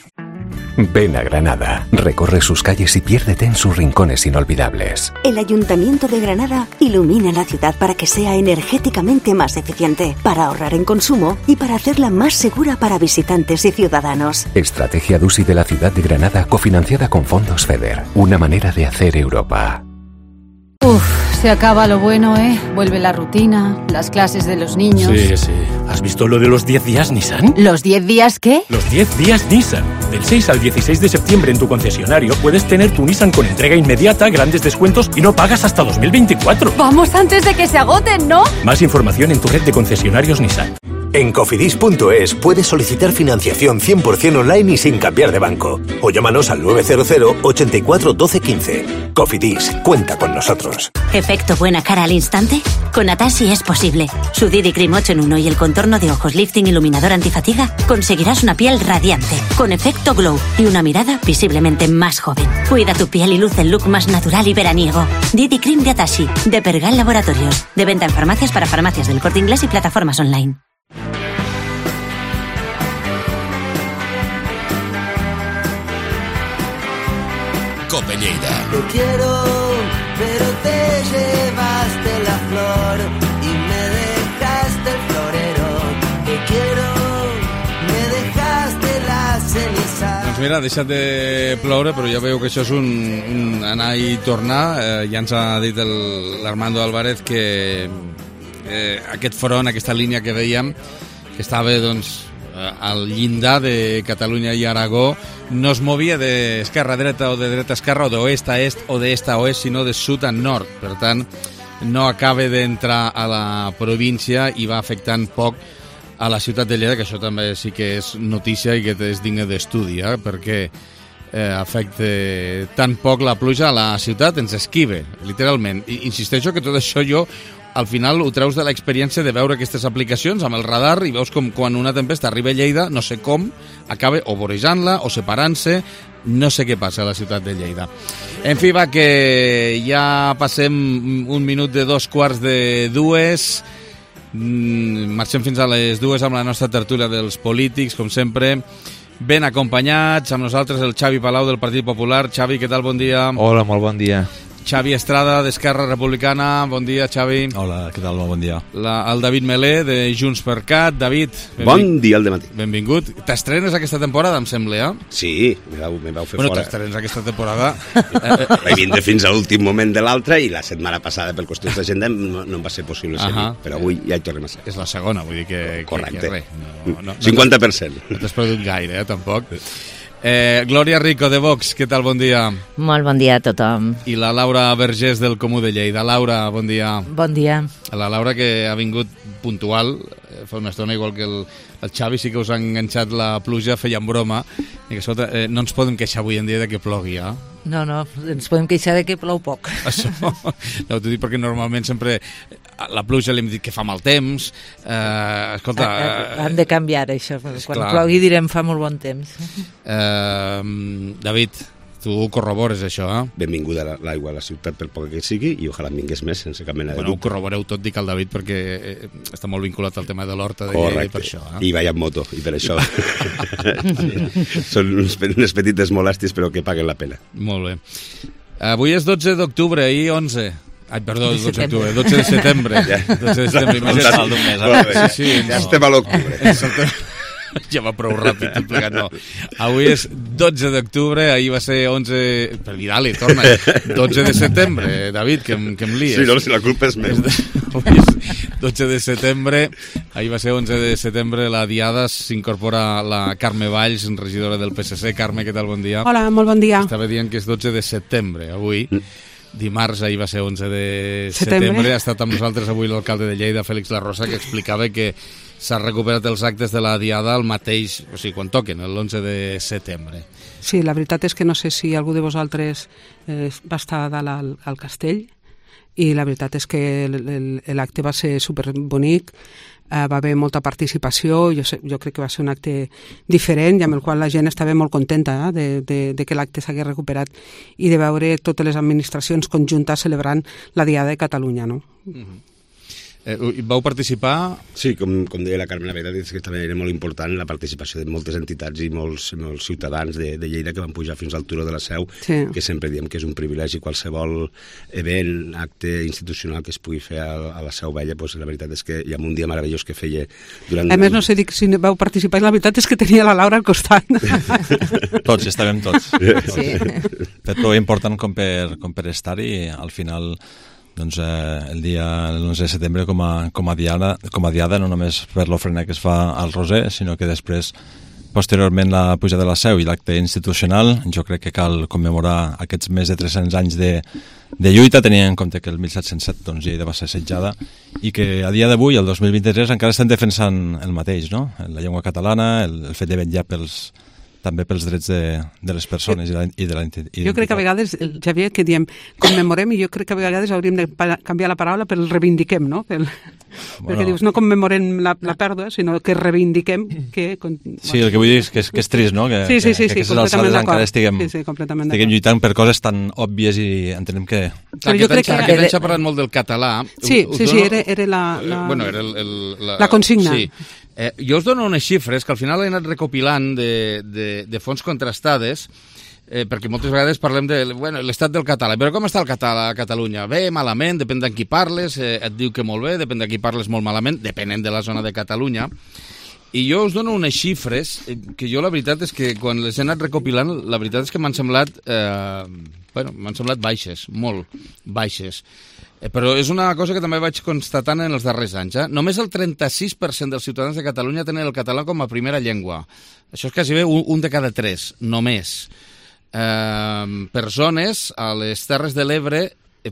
Ven a Granada, recorre sus calles y piérdete en sus rincones inolvidables. El Ayuntamiento de Granada ilumina la ciudad para que sea energéticamente más eficiente, para ahorrar en consumo y para hacerla más segura para visitantes y ciudadanos. Estrategia DUSI de la ciudad de Granada, cofinanciada con fondos FEDER. Una manera de hacer Europa. Se acaba lo bueno, ¿eh? Vuelve la rutina, las clases de los niños. Sí. ¿Has visto lo de los 10 días Nissan? ¿Los 10 días qué? Los 10 días Nissan. Del 6 al 16 de septiembre en tu concesionario puedes tener tu Nissan con entrega inmediata, grandes descuentos y no pagas hasta 2024. Vamos antes de que se agoten, ¿no? Más información en tu red de concesionarios Nissan. En cofidis.es puedes solicitar financiación 100% online y sin cambiar de banco. O llámanos al 900 84 12 15. Cofidis, cuenta con nosotros. ¿Efecto buena cara al instante? Con Atashi es posible. Su Didi Cream 8 en 1 y el contorno de ojos lifting iluminador antifatiga conseguirás una piel radiante, con efecto glow y una mirada visiblemente más joven. Cuida tu piel y luce el look más natural y veraniego. Didi Cream de Atashi, de Pergal Laboratorios. De venta en farmacias para farmacias del Corte Inglés y plataformas online. Cope Lleida. Te quiero, pero te llevaste la flor y me dejaste el florero. Te quiero, me dejaste la ceniza. Doncs mira, ha deixat de ploure, però ja veieu que això és un anar i tornar. Ja ens ha dit l'Armando Álvarez que aquest front, aquesta línia que dèiem, que estava doncs al llindar de Catalunya i Aragó, no es movia d'esquerra a dreta o de dreta a esquerra o d'oest a est o d'est a oest, sinó de sud a nord. Per tant, no acaba d'entrar a la província i va afectant poc a la ciutat de Lleida, que això també sí que és notícia i que és digne d'estudi, perquè afecta tan poc la pluja a la ciutat, ens esquive, literalment. I insisteixo que tot això jo al final ho treus de l'experiència de veure aquestes aplicacions amb el radar i veus com quan una tempesta arriba a Lleida, no sé com, acaba o vorejant-la o separant-se, no sé què passa a la ciutat de Lleida. En fi, va, que ja passem un minut de 2:45, marxem fins a les 2 amb la nostra tertúlia dels polítics, com sempre, ben acompanyats, amb nosaltres el Xavi Palau del Partit Popular. Xavi, què tal? Bon dia. Hola, molt bon dia. Xavi Estrada, d'Esquerra Republicana. Bon dia, Xavi. Hola, què tal? Bon dia. El David Melé, de Junts per Cat. David, bon dia al dematí. Benvingut. T'estrenes aquesta temporada, em sembla, Sí, me vau fer fora. T'estrenes aquesta temporada. Vaig vindre fins a l'últim moment de l'altre i la setmana passada, per qüestions d'agenda, no em va ser possible ser, però avui ja hi tornem a ser. És la segona, vull dir que... Correcte. Que res. No, 50%. No t'has perdut gaire, tampoc. Glòria Rico, de Vox, què tal? Bon dia. Molt bon dia a tothom. I la Laura Vergés, del Comú de Lleida. Laura, bon dia. Bon dia. La Laura, que ha vingut puntual, fa una estona, igual que el Xavi, sí que us ha enganxat la pluja, feien broma, i que escolta, no ens podem queixar avui en dia de que plogui, eh? No, ens podem queixar de que plou poc. Això, no, t'ho dic perquè normalment sempre la pluja li hem dit que fa mal temps, escolta... Han de canviar això, quan plogui direm fa molt bon temps. David, tu corrobores això, eh? Benvinguda l'aigua a la ciutat pel poc que sigui i ojalà en vingués més sense cap mena de dubte. Ho corroboreu tot, dic al David, perquè està molt vinculat al tema de l'horta de Lleida i per això. I vaig amb moto, i per això. Són unes petites molèsties, però que paguen la pena. Molt bé. Avui és 12 d'octubre, ahir 11. Ai, perdó, 12 d'octubre, 12 de setembre. 12 de setembre. Ja estem a l'octubre. Ja va prou ràpid tot plegat, no. Avui és 12 d'octubre, ahir va ser 11... Per dir, dale, torna. 12 de setembre, David, que em lies. Sí, no, si la culpa és meva. Avui és 12 de setembre, ahir va ser 11 de setembre, la diada, s'incorpora la Carme Valls, regidora del PSC. Carme, què tal? Bon dia. Hola, molt bon dia. Estava dient que és 12 de setembre, avui. Dimarts, ahir va ser 11 de setembre. Ha estat amb nosaltres avui l'alcalde de Lleida, Félix La Rosa, que explicava que s'ha recuperat els actes de la diada al mateix, o sigui, quan toquen, l'11 de setembre. Sí, la veritat és que no sé si algú de vosaltres va estar a dalt al castell, i la veritat és que l'acte va ser superbonic, va haver molta participació, jo crec que va ser un acte diferent i amb el qual la gent estava molt contenta de que l'acte s'hagués recuperat i de veure totes les administracions conjuntes celebrant la Diada de Catalunya, no? Vau participar? Sí, com deia la Carme, la veritat és que també era molt important la participació de moltes entitats i molts ciutadans de Lleida que van pujar fins al turó de la Seu, sí. Que sempre diem que és un privilegi qualsevol event, acte institucional que es pugui fer a la Seu Vella, doncs la veritat és que hi ha un dia meravellós que feia durant... A més, no sé si vau participar, la veritat és que tenia la Laura al costat. Tots, estàvem tots. Sí. Fet prou important com per estar-hi, al final... Doncs el dia l'11 de setembre com a diada, no només per l'ofrena que es fa al Roser, sinó que després, posteriorment, la pujada de la Seu i l'acte institucional, jo crec que cal commemorar aquests més de 300 anys de lluita, tenint en compte que el 1707 doncs, Lleida va ser assetjada i que a dia d'avui, el 2023, encara estem defensant el mateix, no? La llengua catalana, el fet de vetllar també pels drets de les persones i de la identitat. Jo crec que a vegades, Xavier, que diem commemorem, i jo crec que a vegades hauríem de canviar la paraula per reivindiquem, no? Perquè dius, no commemorem la pèrdua, sinó que reivindiquem que... Sí, el que vull dir és que és trist, no? Que aquestes alçades encara estiguem lluitant per coses tan òbvies i entenem que... Aquest any s'ha parlat molt del català. Sí, era la consigna. Sí. Jo us dono unes xifres que al final he anat recopilant de fonts contrastades, perquè moltes vegades parlem de l'estat del català. Però com està el català a Catalunya? Bé, malament, depèn de qui parles, et diu que molt bé, depèn de qui parles molt malament, depenent de la zona de Catalunya. I jo us dono unes xifres que jo la veritat és que quan les he anat recopilant, la veritat és que m'han semblat baixes, molt baixes. Però és una cosa que també vaig constatant en els darrers anys. Només el 36% dels ciutadans de Catalunya tenen el català com a primera llengua. Això és quasi bé un de cada 3, només. Per zones, a les Terres de l'Ebre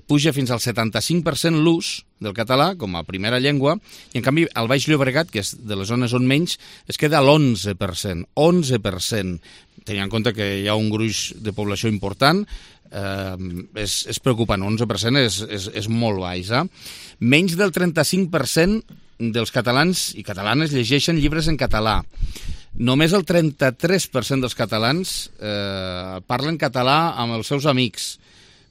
puja fins al 75% l'ús del català com a primera llengua, i en canvi al Baix Llobregat, que és de les zones on menys, es queda a l'11%. 11%. Tenint en compte que hi ha un gruix de població important, és preocupant, 11% és molt baix. Menys del 35% dels catalans i catalanes llegeixen llibres en català. Només el 33% dels catalans parlen català amb els seus amics.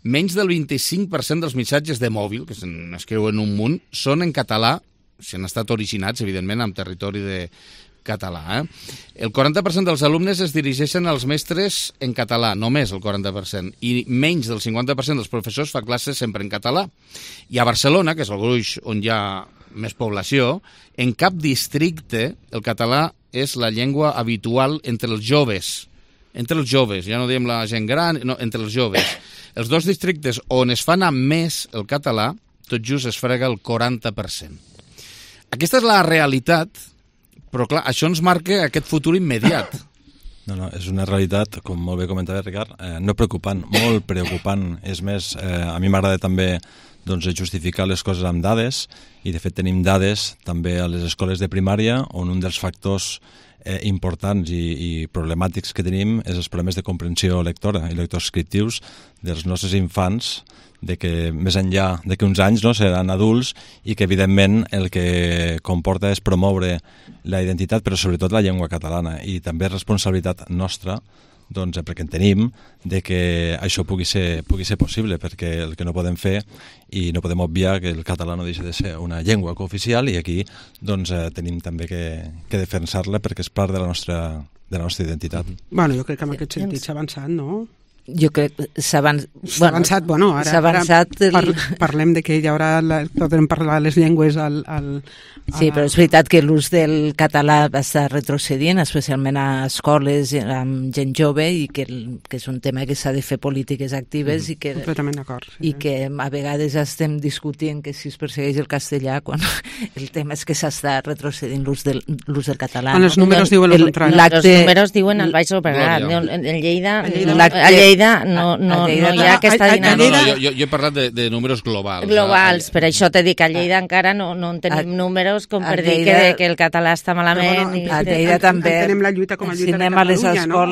Menys del 25% dels missatges de mòbil, que s'escriuen un munt, són en català, si han estat originats, evidentment, en territori de català. El 40% dels alumnes es dirigeixen als mestres en català, només el 40%, i menys del 50% dels professors fa classes sempre en català. I a Barcelona, que és el gruix on hi ha més població, en cap districte el català és la llengua habitual entre els joves. Entre els joves, ja no diem la gent gran, no, entre els joves. Els dos districtes on es fa anar més el català, tot just es frega el 40%. Aquesta és la realitat. Però clar, això ens marca aquest futur immediat. No, és una realitat, com molt bé comentava Ricard, no preocupant, molt preocupant. És més, a mi m'agrada també justificar les coses amb dades, i de fet tenim dades també a les escoles de primària, on un dels factors importants i problemàtics que tenim és els problemes de comprensió lectora i lectoescriptius dels nostres infants, de que més enllà de que uns anys seran adults i que evidentment el que comporta és promoure la identitat, però sobretot la llengua catalana, i també responsabilitat nostra, perquè en tenim, de que això pugui ser possible, perquè el que no podem fer, i no podem obviar que el català no deixa de ser una llengua cooficial, i aquí tenim també que defensar-la perquè és part de la nostra identitat. Bueno, jo crec que en aquest sentit s'ha avançat, no? Jo crec que s'ha avançat. Bueno, ara parlem de que hi haurà, podrem parlar les llengües Sí, però és veritat que l'ús del català està retrocedint, especialment a escoles amb gent jove, i que és un tema que s'ha de fer polítiques actives i que, completament d'acord. I que a vegades estem discutint que si es persegueix el castellà quan el tema és que s'està retrocedint l'ús del català. Els números diuen el contrari. Els números diuen el Baix Llobregat. En Lleida no hi ha aquesta dinàmica. Jo he parlat de números globals. Globals, per això t'he dit que a Lleida encara no en tenim números com per dir que el català està malament. A Lleida també tenim la lluita com a lluita de Catalunya, no?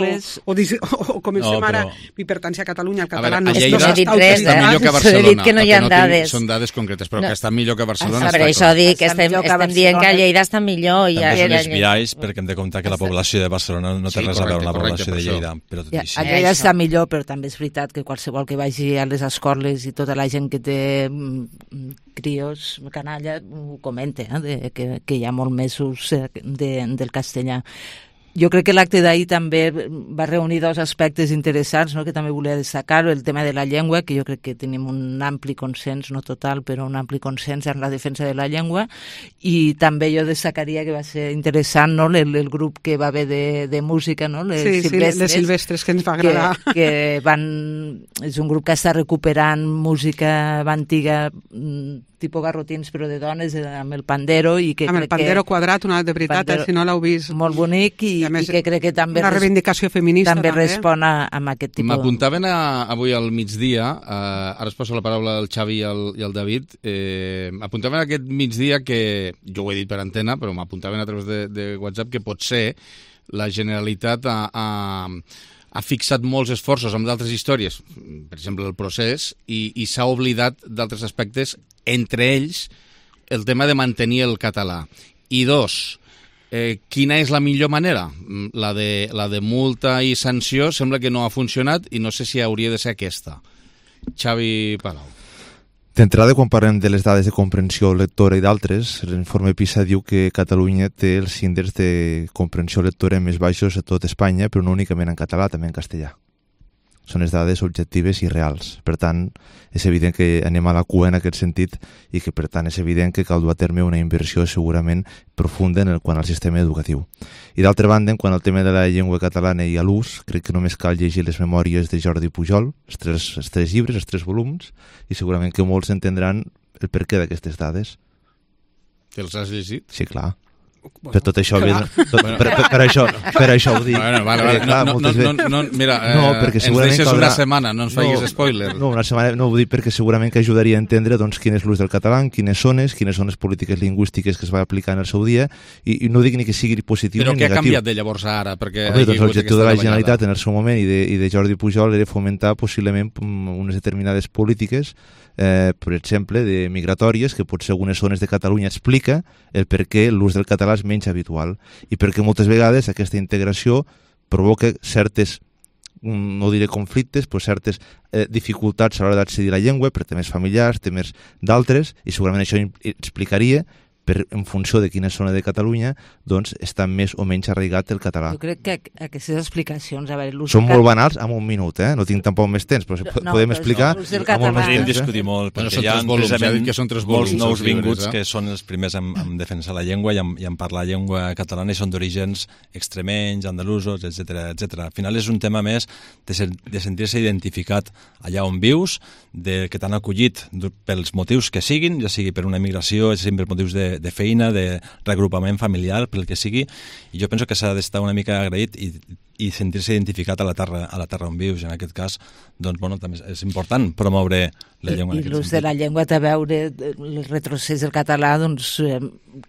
O comencem ara l'hipertància a Catalunya, el català no està està millor que a Barcelona. He dit que no hi ha dades. Són dades concretes, però que està millor que a Barcelona. Per això dic que estem dient que a Lleida està millor. També són els biais, perquè hem de comptar que la població de Barcelona no té res a veure amb la població de Lleida. A Lleida està millor, però també és veritat que qualsevol que vagi a les escoles i tota la gent que té crios, canalla, ho comenta, que hi ha molt més ús del castellà. Jo crec que l'acte d'ahir també va reunir dos aspectes interessants, no?, que també volia destacar. El tema de la llengua, que jo crec que tenim un ampli consens, no total, però un ampli consens en la defensa de la llengua, i també jo destacaria que va ser interessant, no?, el grup que va haver de música, no?, les Silvestres, que ens va agradar. És un grup que està recuperant música antiga, tipus garrotins, però de dones, amb el pandero. Amb el pandero quadrat, de veritat, si no l'heu vist. Molt bonic, i que crec que també una reivindicació feminista també respon a aquest tipus. M'apuntaven avui al migdia, ara es posa la paraula al Xavi i al David, m'apuntaven aquest migdia que, jo ho he dit per antena, però m'apuntaven a través de WhatsApp, que potser la Generalitat ha fixat molts esforços amb d'altres històries, per exemple el procés, i s'ha oblidat d'altres aspectes, entre ells el tema de mantenir el català. I dos, quina és la millor manera? La de multa i sanció sembla que no ha funcionat i no sé si hauria de ser aquesta. Xavi Palau. D'entrada, quan parlem de les dades de comprensió lectora i d'altres, l'informe PISA diu que Catalunya té els índexs de comprensió lectora més baixos a tot Espanya, però no únicament en català, també en castellà. Són les dades objectives i reals. Per tant, és evident que anem a la cua en aquest sentit i que, per tant, és evident que cal dur a terme una inversió segurament profunda quant al sistema educatiu. I d'altra banda, quan el tema de la llengua catalana i a l'ús, crec que només cal llegir les memòries de Jordi Pujol, els tres llibres, els 3 volums, i segurament que molts entendran el perquè d'aquestes dades. Te'ls has llegit? Sí, clar. Per tot això, per això ho dic. Mira, ens deixes una setmana, no ens facis spoiler. No, una setmana no ho dic perquè segurament que ajudaria a entendre quin és l'ús del català, quines són les polítiques lingüístiques que es va aplicar en el seu dia, i no dic ni que sigui positiu ni negatiu. Però què ha canviat de llavors a ara? L'objectiu de la Generalitat en el seu moment i de Jordi Pujol era fomentar possiblement unes determinades polítiques, per exemple, de migratòries, que potser algunes zones de Catalunya explica el per què l'ús del català és menys habitual i perquè moltes vegades aquesta integració provoca certes, no diré conflictes, però certes dificultats a l'hora d'accedir a la llengua per temes familiars, temes d'altres, i segurament això explicaria en funció de quina zona de Catalunya doncs està més o menys arraigat el català. Jo crec que aquestes explicacions... Són molt banals en un minut, no tinc tampoc més temps, però podem explicar amb molt més temps. Podem discutir molt, perquè hi ha molts nous vinguts que són els primers en defensar la llengua i en parlar llengua catalana i són d'orígens extremenys, andalusos, etc. Al final és un tema més de sentir-se identificat allà on vius, que t'han acollit pels motius que siguin, ja sigui per una migració, ja sigui per motius de feina, de reagrupament familiar, pel que sigui, i jo penso que s'ha d'estar una mica agraït i sentir-se identificat a la terra on vius. En aquest cas, doncs, bueno, també és important promoure la llengua. I l'ús de la llengua té a veure el retrocés del català, doncs,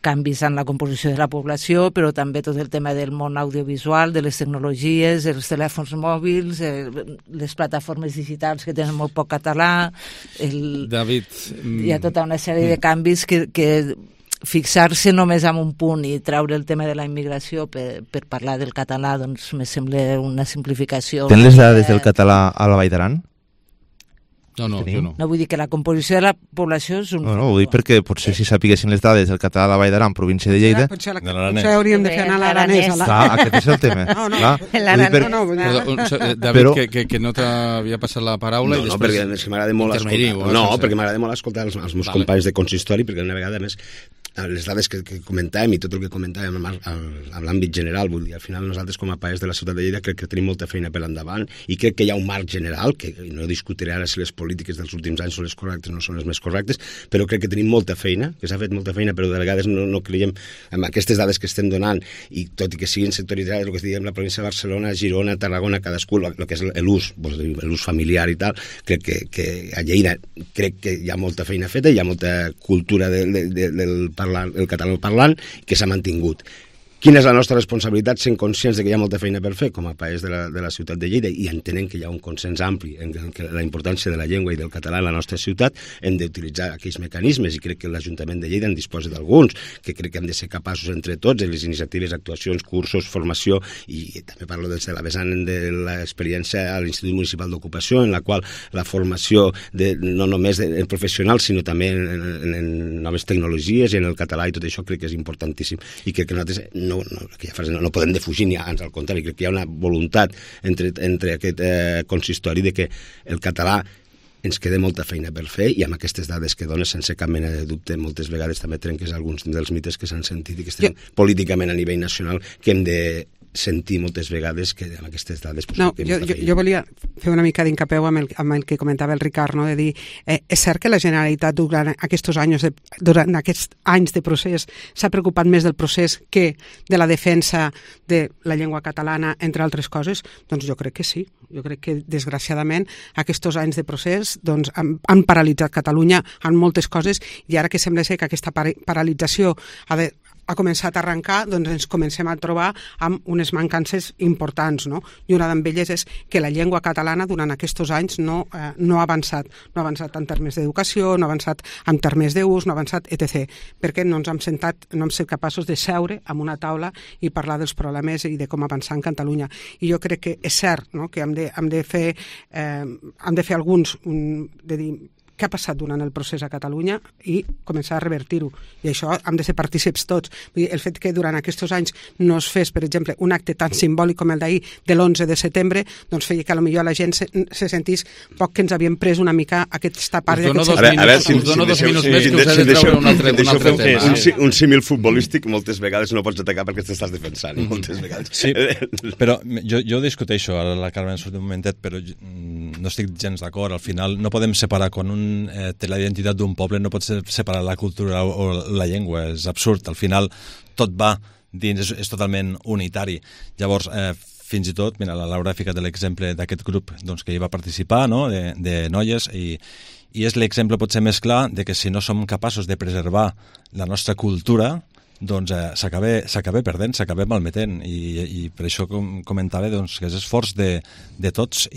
canvis en la composició de la població, però també tot el tema del món audiovisual, de les tecnologies, els telèfons mòbils, les plataformes digitals que tenen molt poc català. David... Hi ha tota una sèrie de canvis que fixar-se només en un punt i treure el tema de la immigració per parlar del català, doncs me sembla una simplificació. Tens les dades del català a la Vall d'Aran? No, jo no. No vull dir que la composició de la població és un... No, ho dic perquè potser si sapiguessin les dades del català a la Vall d'Aran, província de Lleida... Potser hauríem de fer anar a l'aranès. Clar, aquest és el tema. David, que no t'havia passat la paraula i després... No, perquè m'agrada molt escoltar els meus companys de consistori, perquè una vegada més les dades que comentàvem i tot el que comentàvem en l'àmbit general, vull dir, al final nosaltres com a país de la ciutat de Lleida crec que tenim molta feina per endavant i crec que hi ha un marc general, que no discutiré ara si les polítiques dels últims anys són les correctes o no són les més correctes, però crec que tenim molta feina, que s'ha fet molta feina, però de vegades no creiem en aquestes dades que estem donant, i tot i que siguin sectoritzades, el que diguem la província de Barcelona, Girona, Tarragona, cadascú, el que és l'ús familiar i tal, crec que a Lleida crec que hi ha molta feina feta, hi ha molta cultura del català parlant que s'ha mantingut. Quina és la nostra responsabilitat sent conscients de que hi ha molta feina per fer com a país de la ciutat de Lleida i entenent que hi ha un consens ampli en la importància de la llengua i del català en la nostra ciutat, hem d'utilitzar aquells mecanismes i crec que l'Ajuntament de Lleida en disposa d'alguns, que crec que hem de ser capaços entre tots en les iniciatives, actuacions, cursos, formació i també parlo des de la vessant de l'experiència a l'Institut Municipal d'Ocupació en la qual la formació no només en professionals sinó també en noves tecnologies i en el català i tot això crec que és importantíssim i crec que nosaltres no podem defugir ni ans al contrari, crec que hi ha una voluntat entre aquest consistori de que el català ens queda molta feina per fer i amb aquestes dades que dones sense cap mena de dubte moltes vegades també trenques alguns dels mites que s'han sentit i que estem políticament a nivell nacional que hem de sentir moltes vegades que amb aquestes dades... No, jo volia fer una mica d'incapeu amb el que comentava el Ricard, no? De dir, és cert que la Generalitat durant aquests anys de procés s'ha preocupat més del procés que de la defensa de la llengua catalana, entre altres coses? Doncs jo crec que sí. Jo crec que, desgraciadament, aquests anys de procés doncs, han paralitzat Catalunya en moltes coses i ara que sembla ser que aquesta paralització ha començat a arrencar, doncs ens comencem a trobar amb unes mancances importants, no? I una d'elles és que la llengua catalana durant aquests anys no ha avançat. No ha avançat en termes d'educació, no ha avançat en termes d'ús, no ha avançat, etc. Perquè no hem set capaços de seure en una taula i parlar dels problemes i de com avançar en Catalunya. I jo crec que és cert, no?, que hem de fer alguns, de dir, què ha passat durant el procés a Catalunya i començar a revertir-ho. I això hem de ser partícips tots. Vull dir, el fet que durant aquests anys no es fes, per exemple, un acte tan simbòlic com el d'ahir, de l'11 de setembre, doncs feia que potser la gent se sentís poc que ens havien pres una mica aquesta part... Us dono dos minuts més que us he de treure un altre tema. Un símil futbolístic moltes vegades no pots atacar perquè t'estàs defensant, moltes vegades. Sí, però jo discuteixo, ara la Carmen surt un momentet, però no estic gens d'acord. Al final no podem separar quan un té la identitat d'un poble, no pot separar la cultura o la llengua, és absurd. Al final tot va dins, és totalment unitari. Llavors, fins i tot, mira, la Laura ha ficat l'exemple d'aquest grup doncs, que hi va participar, no?, de noies, i és l'exemple potser més clar de que si no som capaços de preservar la nostra cultura, doncs s'acaba perdent, s'acaba malmetent, i per això comentava doncs, que és esforç de tots,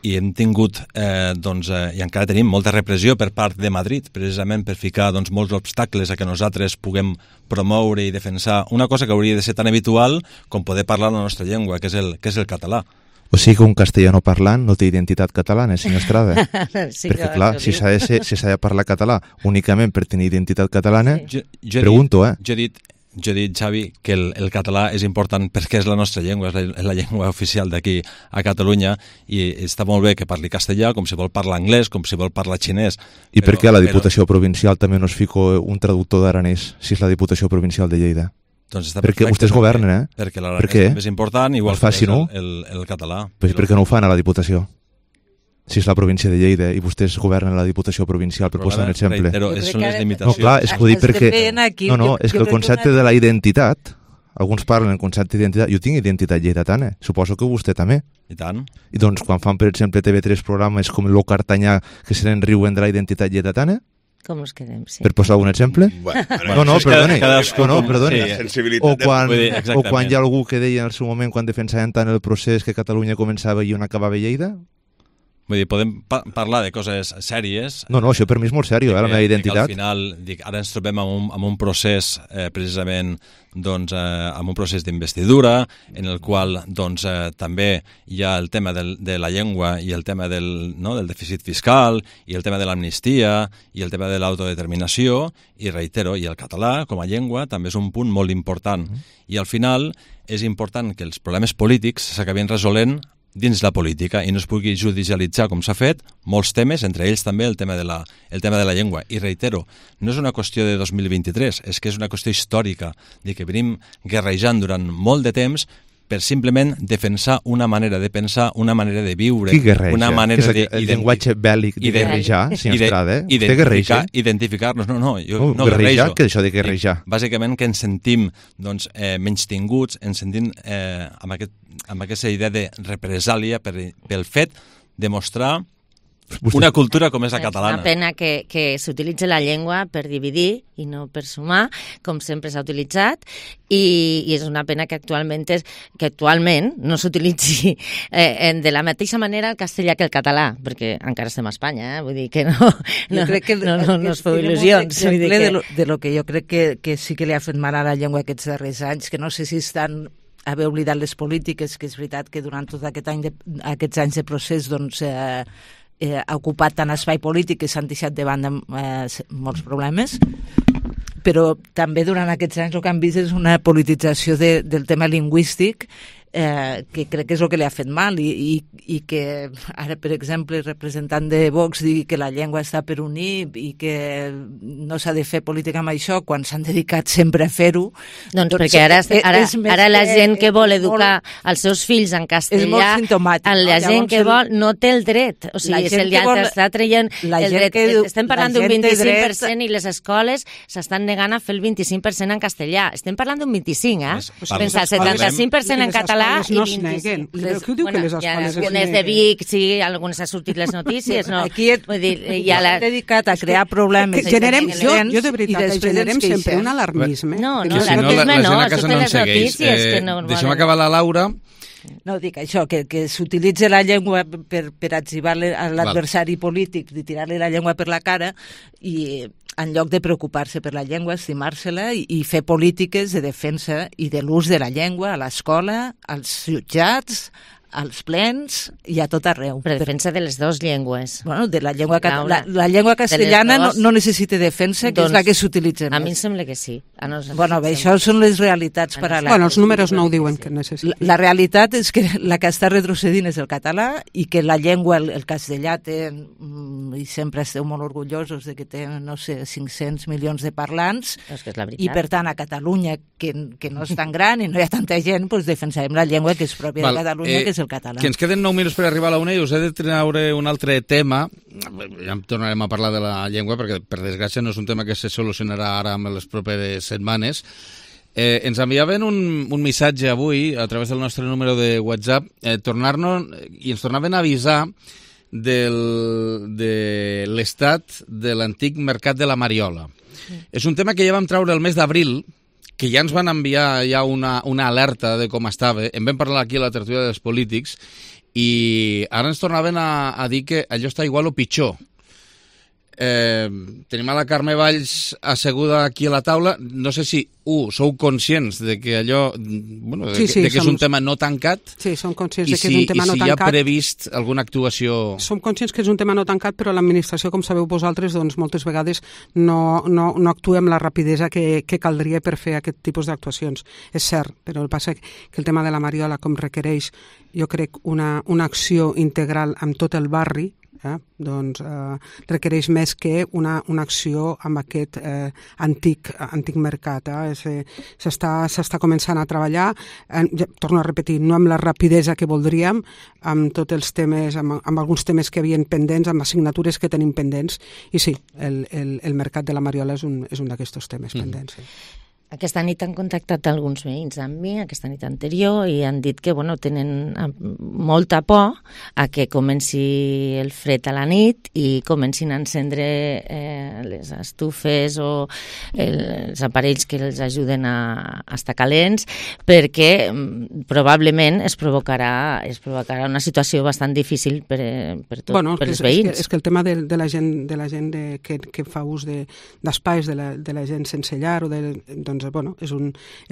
i hem tingut, i encara tenim molta repressió per part de Madrid, precisament per ficar molts obstacles a que nosaltres puguem promoure i defensar una cosa que hauria de ser tan habitual com poder parlar la nostra llengua, que és el català. O sigui que un castellano parlant no té identitat catalana, senyor Estrada. Sí, perquè, clar, si s'ha de parlar català únicament per tenir identitat catalana, pregunto, Jo he dit, Xavi, que el català és important perquè és la nostra llengua, és la llengua oficial d'aquí a Catalunya, i està molt bé que parli castellà, com si vol parlar anglès, com si vol parlar xinès. I per què a la Diputació Provincial també no es fica un traductor d'aranès, si és la Diputació Provincial de Lleida? Doncs perquè vostès governen, Perquè l'aranès és important, igual que el català. Pues per què no ho fan a la Diputació? Si és la província de Lleida i vostès governen la Diputació Provincial, per posar un exemple. Però són les limitacions. No, clar, és que ho dic perquè... No, és que el concepte de la identitat, alguns parlen del concepte d'identitat, jo tinc identitat lleidatana, suposo que vostè també. I tant. I doncs quan fan, per exemple, TV3 programes com Lo Cartanyà, que se n'enriuen de la identitat lleidatana, com us quedem, sí. Per posar algun exemple? Perdoni. O quan hi ha algú que deia en el seu moment, quan defensaven tant el procés, que Catalunya començava i on acabava Lleida? Vull dir, podem parlar de coses sèries. No, això per mi és molt sèrio, la meva identitat. Al final, ara ens trobem en un procés, precisament, doncs, amb un procés d'investidura, en el qual doncs, també hi ha el tema de la llengua i el tema del dèficit fiscal i el tema de l'amnistia i el tema de l'autodeterminació, i reitero, i el català com a llengua també és un punt molt important. I al final és important que els problemes polítics s'acabin resolent dins la política i no es pugui judicialitzar com s'ha fet molts temes, entre ells també el tema de la llengua. I reitero, no és una qüestió de 2023, és que és una qüestió històrica, de que venim guerrejant durant molt de temps per simplement defensar una manera de pensar, una manera de viure, una manera de... El llenguatge bèl·lic de guerrejar, senyor Estrada, Vostè guerreja? Identificar-nos, no, jo no guerreja, guerrejo. Què és això de guerrejar? Bàsicament que ens sentim menystinguts, ens sentim amb aquesta idea de represàlia pel fet de mostrar una cultura com és la catalana. És una pena que s'utilitzi la llengua per dividir i no per sumar, com sempre s'ha utilitzat, i és una pena que actualment no s'utilitzi de la mateixa manera el castellà que el català, perquè encara estem a Espanya, vull dir que no es feu il·lusions. De lo que jo crec que sí que li ha fet mal a la llengua aquests darrers anys, que no sé si estan haver oblidat les polítiques, que és veritat que durant tot aquests anys de procés doncs ha ocupat tant espai polític que s'han deixat de banda molts problemes, però també durant aquests anys el que han vist és una politització del tema lingüístic que crec que és el que li ha fet mal i que ara, per exemple, el representant de Vox digui que la llengua està per unir i que no s'ha de fer política amb això quan s'han dedicat sempre a fer-ho. Doncs perquè ara la gent que vol educar els seus fills en castellà, la gent que vol no té el dret, o sigui, està traient el dret. Estem parlant d'un 25% i les escoles s'estan negant a fer el 25% en castellà. Estem parlant d'un 25%, Pensa, 75% en català no es neguen. Què diu que les escoles es neguen? Algunes de Vic, sí, algunes ha sortit les notícies, no? Aquí s'ha dedicat a crear problemes. Jo de veritat, generem sempre un alarmisme. No, l'alarmisme no, totes les notícies. Deixem acabar la Laura. No, dic això, que s'utilitza la llengua per atzivar l'adversari polític, de tirar-li la llengua per la cara, i en lloc de preocupar-se per la llengua, estimar-se-la i fer polítiques de defensa i de l'ús de la llengua a l'escola, als jutjats, als plens i a tot arreu. Per defensa de les dues llengües. Bueno, de la llengua la llengua castellana no necessita defensa, que és la que s'utilitza. A mi em sembla que sí. Bueno, això són les realitats paral·leles. Bueno, els números no ho diuen que necessita. La realitat és que la que està retrocedint és el català i que la llengua, el castellà té, i sempre esteu molt orgullosos de que té, no sé, 500 milions de parlants, i per tant a Catalunya, que no és tan gran i no hi ha tanta gent, doncs defensarem la llengua que és pròpia de Catalunya, que és el català. Que ens queden 9 minuts per arribar a la 1 i us he de treure un altre tema. Ja tornarem a parlar de la llengua perquè, per desgràcia, no és un tema que se solucionarà ara en les properes setmanes. Ens enviaven un missatge avui a través del nostre número de WhatsApp i ens tornaven a avisar de l'estat de l'antic mercat de la Mariola. És un tema que ja vam treure el mes d'abril, que ja ens van enviar ja una alerta de com estava. En vam parlar aquí a la tertúlia dels polítics i ara ens tornaven a dir que allò està igual o pitjor. Tenim a la Carme Valls asseguda aquí a la taula. No sé si, sou conscients de que allò, bueno, que és un tema no tancat? Sí, som conscients de que és un tema no tancat. I si hi ha previst alguna actuació? Som conscients que és un tema no tancat, però l'administració, com sabeu vosaltres, doncs moltes vegades no actua amb la rapidesa que caldria per fer aquest tipus d'actuacions. És cert, però el passa que el tema de la Mariola com requereix, jo crec, una acció integral amb tot el barri, doncs requereix més que una acció amb aquest antic mercat. S'està començant a treballar, torno a repetir, no amb la rapidesa que voldríem, amb tots els temes, amb alguns temes que havien pendents, amb assignatures que tenim pendents, i sí, el mercat de la Mariola és un d'aquests temes pendents. Sí. Aquesta nit han contactat alguns veïns amb mi, aquesta nit anterior, i han dit que tenen molta por a que comenci el fred a la nit i comencin a encendre les estufes o els aparells que els ajuden a estar calents, perquè probablement es provocarà una situació bastant difícil per els veïns. És que el tema de la gent que fa ús d'espais de la gent sense llar, és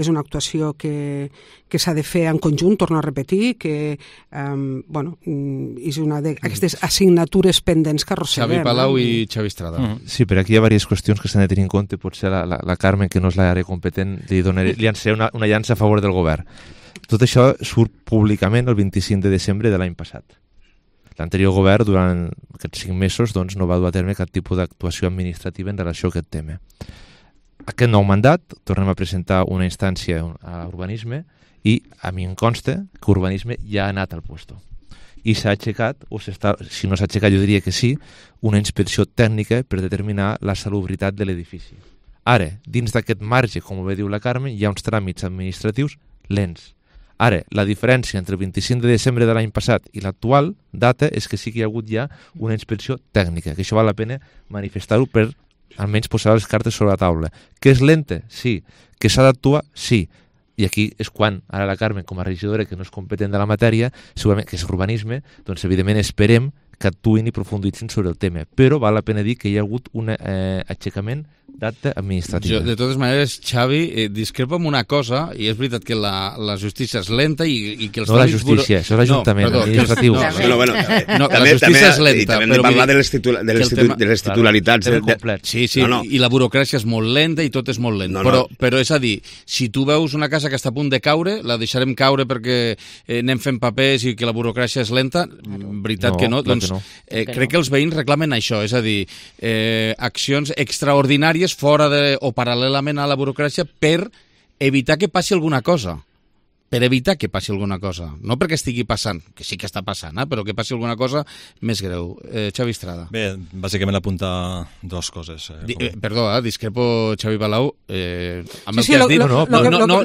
una actuació que s'ha de fer en conjunt, torno a repetir, que és una d'aquestes assignatures pendents que arrosseguem. Xavi Palau i Xavi Estrada. Sí, però aquí hi ha diverses qüestions que s'han de tenir en compte. Potser la Carmen, que no és l'àrea competent, li llançaré una llança a favor del govern. Tot això surt públicament el 25 de desembre de l'any passat. L'anterior govern, durant aquests 5 mesos, no va dur a terme cap tipus d'actuació administrativa en relació a aquest tema. Aquest nou mandat, tornem a presentar una instància a urbanisme i a mi em consta que urbanisme ja ha anat al puesto. I s'ha aixecat, si no s'ha aixecat jo diria que sí, una inspecció tècnica per determinar la salubritat de l'edifici. Ara, dins d'aquest marge, com bé diu la Carmen, hi ha uns tràmits administratius lents. Ara, la diferència entre el 25 de desembre de l'any passat i l'actual data és que sí que hi ha hagut ja una inspecció tècnica, que això val la pena manifestar-ho per almenys posar les cartes sobre la taula. Que és lenta? Sí. Que s'ha d'actuar? Sí. I aquí és quan, ara la Carmen, com a regidora que no és competent de la matèria, segurament que és urbanisme, doncs evidentment esperem que actuïn i profunditzin sobre el tema. Però val la pena dir que hi ha hagut un aixecament d'acte administratiu. Jo, de totes maneres, Xavi, discrepo amb una cosa, i és veritat que la justícia és lenta i que els... No la justícia, això és l'Ajuntament, administratiu. La justícia és lenta. I també hem de parlar de les titularitats. Sí, i la burocràcia és molt lenta i tot és molt lent. Però és a dir, si tu veus una casa que està a punt de caure, la deixarem caure perquè anem fent papers i que la burocràcia és lenta? Veritat que no. Doncs crec que els veïns reclamen això, és a dir, accions extraordinàries fora o paral·lelament a la burocràcia per evitar que passi alguna cosa. Per evitar que passi alguna cosa. No perquè estigui passant, que sí que està passant, però que passi alguna cosa més greu. Xavi Estrada. Bé, bàsicament apuntar dues coses. Perdó, discrepo, Xavi Palau, amb el que has dit.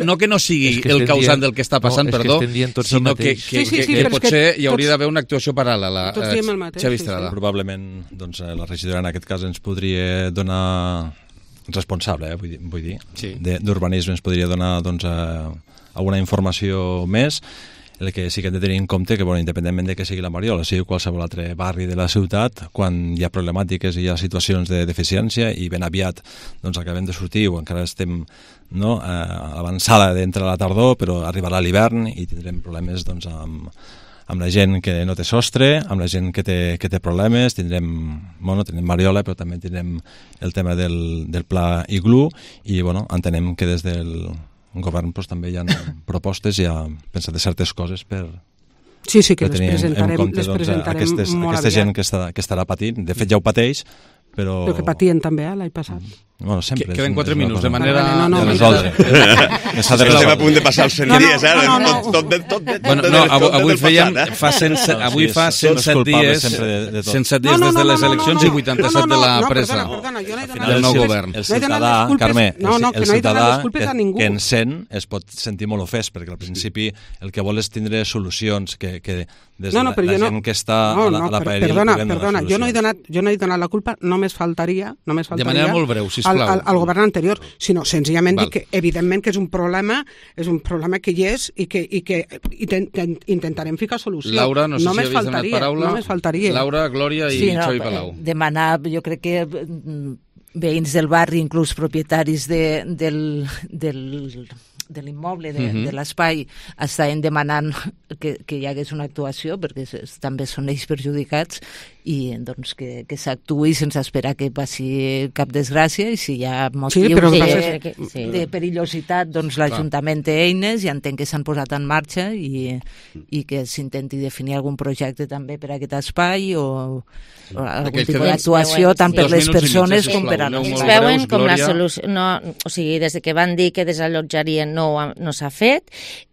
No que no sigui el causant del que està passant, perdó, sinó que potser hi hauria d'haver una actuació paral·lela. Xavi Estrada. Probablement la regidora en aquest cas ens podria donar responsable, vull dir, d'urbanisme ens podria donar alguna informació més. El que sí que hem de tenir en compte que, independentment de que sigui la Mariola, sigui qualsevol altre barri de la ciutat, quan hi ha problemàtiques i hi ha situacions de deficiència i ben aviat acabem de sortir o encara estem a l'avançada d'entre la tardor, però arribarà l'hivern i tindrem problemes amb la gent que no té sostre, amb la gent que té problemes, tindrem Mariola, però també tindrem el tema del pla Iglú i entenem que des del govern també hi ha propostes i ha pensat de certes coses per que les presentarem molt aquesta gent que estarà patint, de fet ja ho pateix, però que patien també l'any passat. Sempre. Queden 4 minuts, de manera... de resoldre. Estem a punt de passar els 100 dies, Avui fa 107 dies des de les eleccions i 87 de la presa del nou govern. El ciutadà, Carme, el ciutadà que encén es pot sentir molt ofès, perquè al principi el que vol és tindre solucions que des de la gent que està a la paeria... Perdona, jo no he donat la culpa, només faltaria... De manera molt breu, sisplau. Al govern anterior, sinó senzillament dir que evidentment que és un problema que hi és i que intentarem ficar solució. Laura, no sé si havies demanat paraula. Només faltaria. Laura, Glòria i Xavi Palau. Demanar, jo crec que veïns del barri, inclús propietaris de l'immoble, de l'espai, estaven demanant que hi hagués una actuació, perquè també són ells perjudicats, i doncs que s'actuï sense esperar que passi cap desgràcia, i si hi ha motius de perillositat, doncs l'Ajuntament té eines i entenc que s'han posat en marxa i que s'intenti definir algun projecte també per a aquest espai o algun tipus d'actuació tant per les persones com per a nosaltres. Ells veuen com la solució, o sigui, des que van dir que desallotjarien no s'ha fet,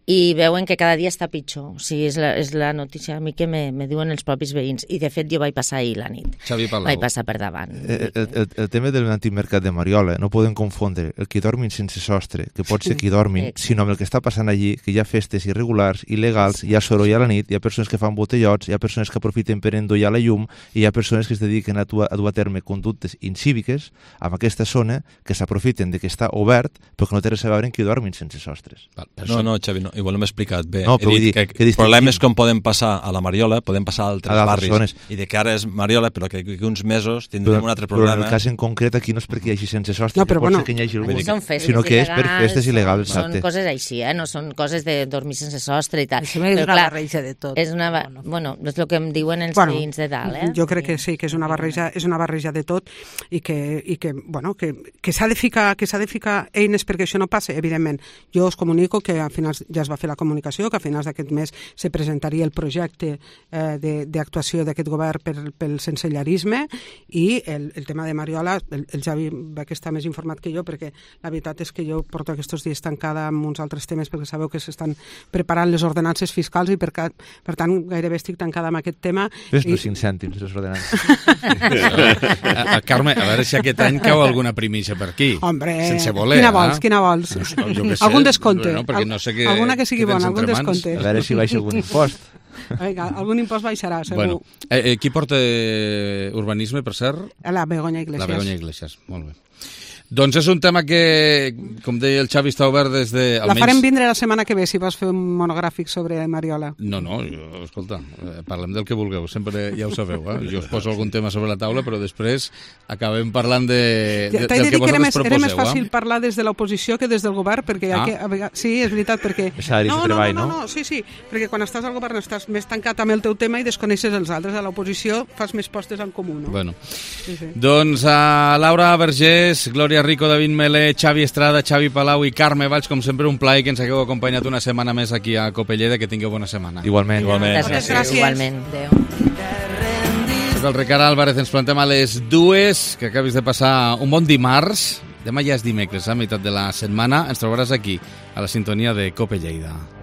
i veuen que cada dia està pitjor. O sigui, és la notícia a mi que me diuen els propis veïns. I, de fet, jo vaig passar ahir la nit. Xavi Palau. Vaig passar per davant. El tema del antimercat de Mariola, no podem confondre el que dormin sense sostre, que pot ser qui dormin, sinó amb el que està passant allí, que hi ha festes irregulars, il·legals, hi ha soroll a la nit, hi ha persones que fan botellots, hi ha persones que aprofiten per endollar la llum i hi ha persones que es dediquen a dur a terme conductes incíviques en aquesta zona que s'aprofiten de que està obert però que no té res a veure en qui dormin sense sostres. No, Xavi, no. Igual no m'he explicat bé. No, però he dit que problemes com poden passar a la Mariola, poden passar a altres barris. Zones. I de que ara és Mariola, però que uns mesos tindrem un altre problema. Però en el cas en concret aquí no és perquè hi hagi sense sostre, que pot ser que hi hagi algú, sinó que és per festes il·legals. Són coses així, no són coses de dormir sense sostre i tal. Això és una barreja de tot. És el que em diuen els veïns de dalt. Jo crec que sí, que és una barreja de tot i que s'ha de ficar eines perquè això no passi, evidentment. Jo us comunico que a finals ja es va fer la comunicació, que a finals d'aquest mes se presentaria el projecte d'actuació d'aquest govern pel sensellarisme i el tema de Mariola, el Javi va que està més informat que jo, perquè la veritat és que jo porto aquests dies tancada amb uns altres temes perquè sabeu que s'estan preparant les ordenances fiscals i per tant gairebé estic tancada amb aquest tema. Ves no 5 cèntims, les ordenances. Carme, a veure si aquest any cau alguna primícia per aquí. Hombre, sense voler. Quina vols? Algun descompte. No sé alguna que sigui bona, algun descompte. A veure si baixa algun impost. Vinga, algun impost baixarà, segur. Qui porta urbanisme, per cert? La Begoña Iglesias. La Begoña Iglesias, molt bé. Doncs és un tema que, com deia el Xavi, està obert des de... La farem vindre la setmana que ve, si vas fer un monogràfic sobre Mariola. No, escolta, parlem del que vulgueu, sempre ja ho sabeu, Jo us poso algun tema sobre la taula, però després acabem parlant del que vosaltres proposeu. Era més fàcil parlar des de l'oposició que des del govern, perquè sí, és veritat, perquè... No, sí, perquè quan estàs al govern estàs més tancat amb el teu tema i desconeixes els altres. A l'oposició fas més postes en comú, no? Bueno, doncs a Laura Vergés, Glòria Rico, David Melé, Xavi Estrada, Xavi Palau i Carme Valls, com sempre un plaer que ens hagueu acompanyat una setmana més aquí a Copelleda, que tingueu bona setmana. Igualment. Moltes gràcies. Igualment. Adéu. El Ricard Álvarez, ens plantem a les 2, que acabis de passar un bon dimarts. Demà ja és dimecres, a meitat de la setmana. Ens trobaràs aquí, a la sintonia de Cope Lleida.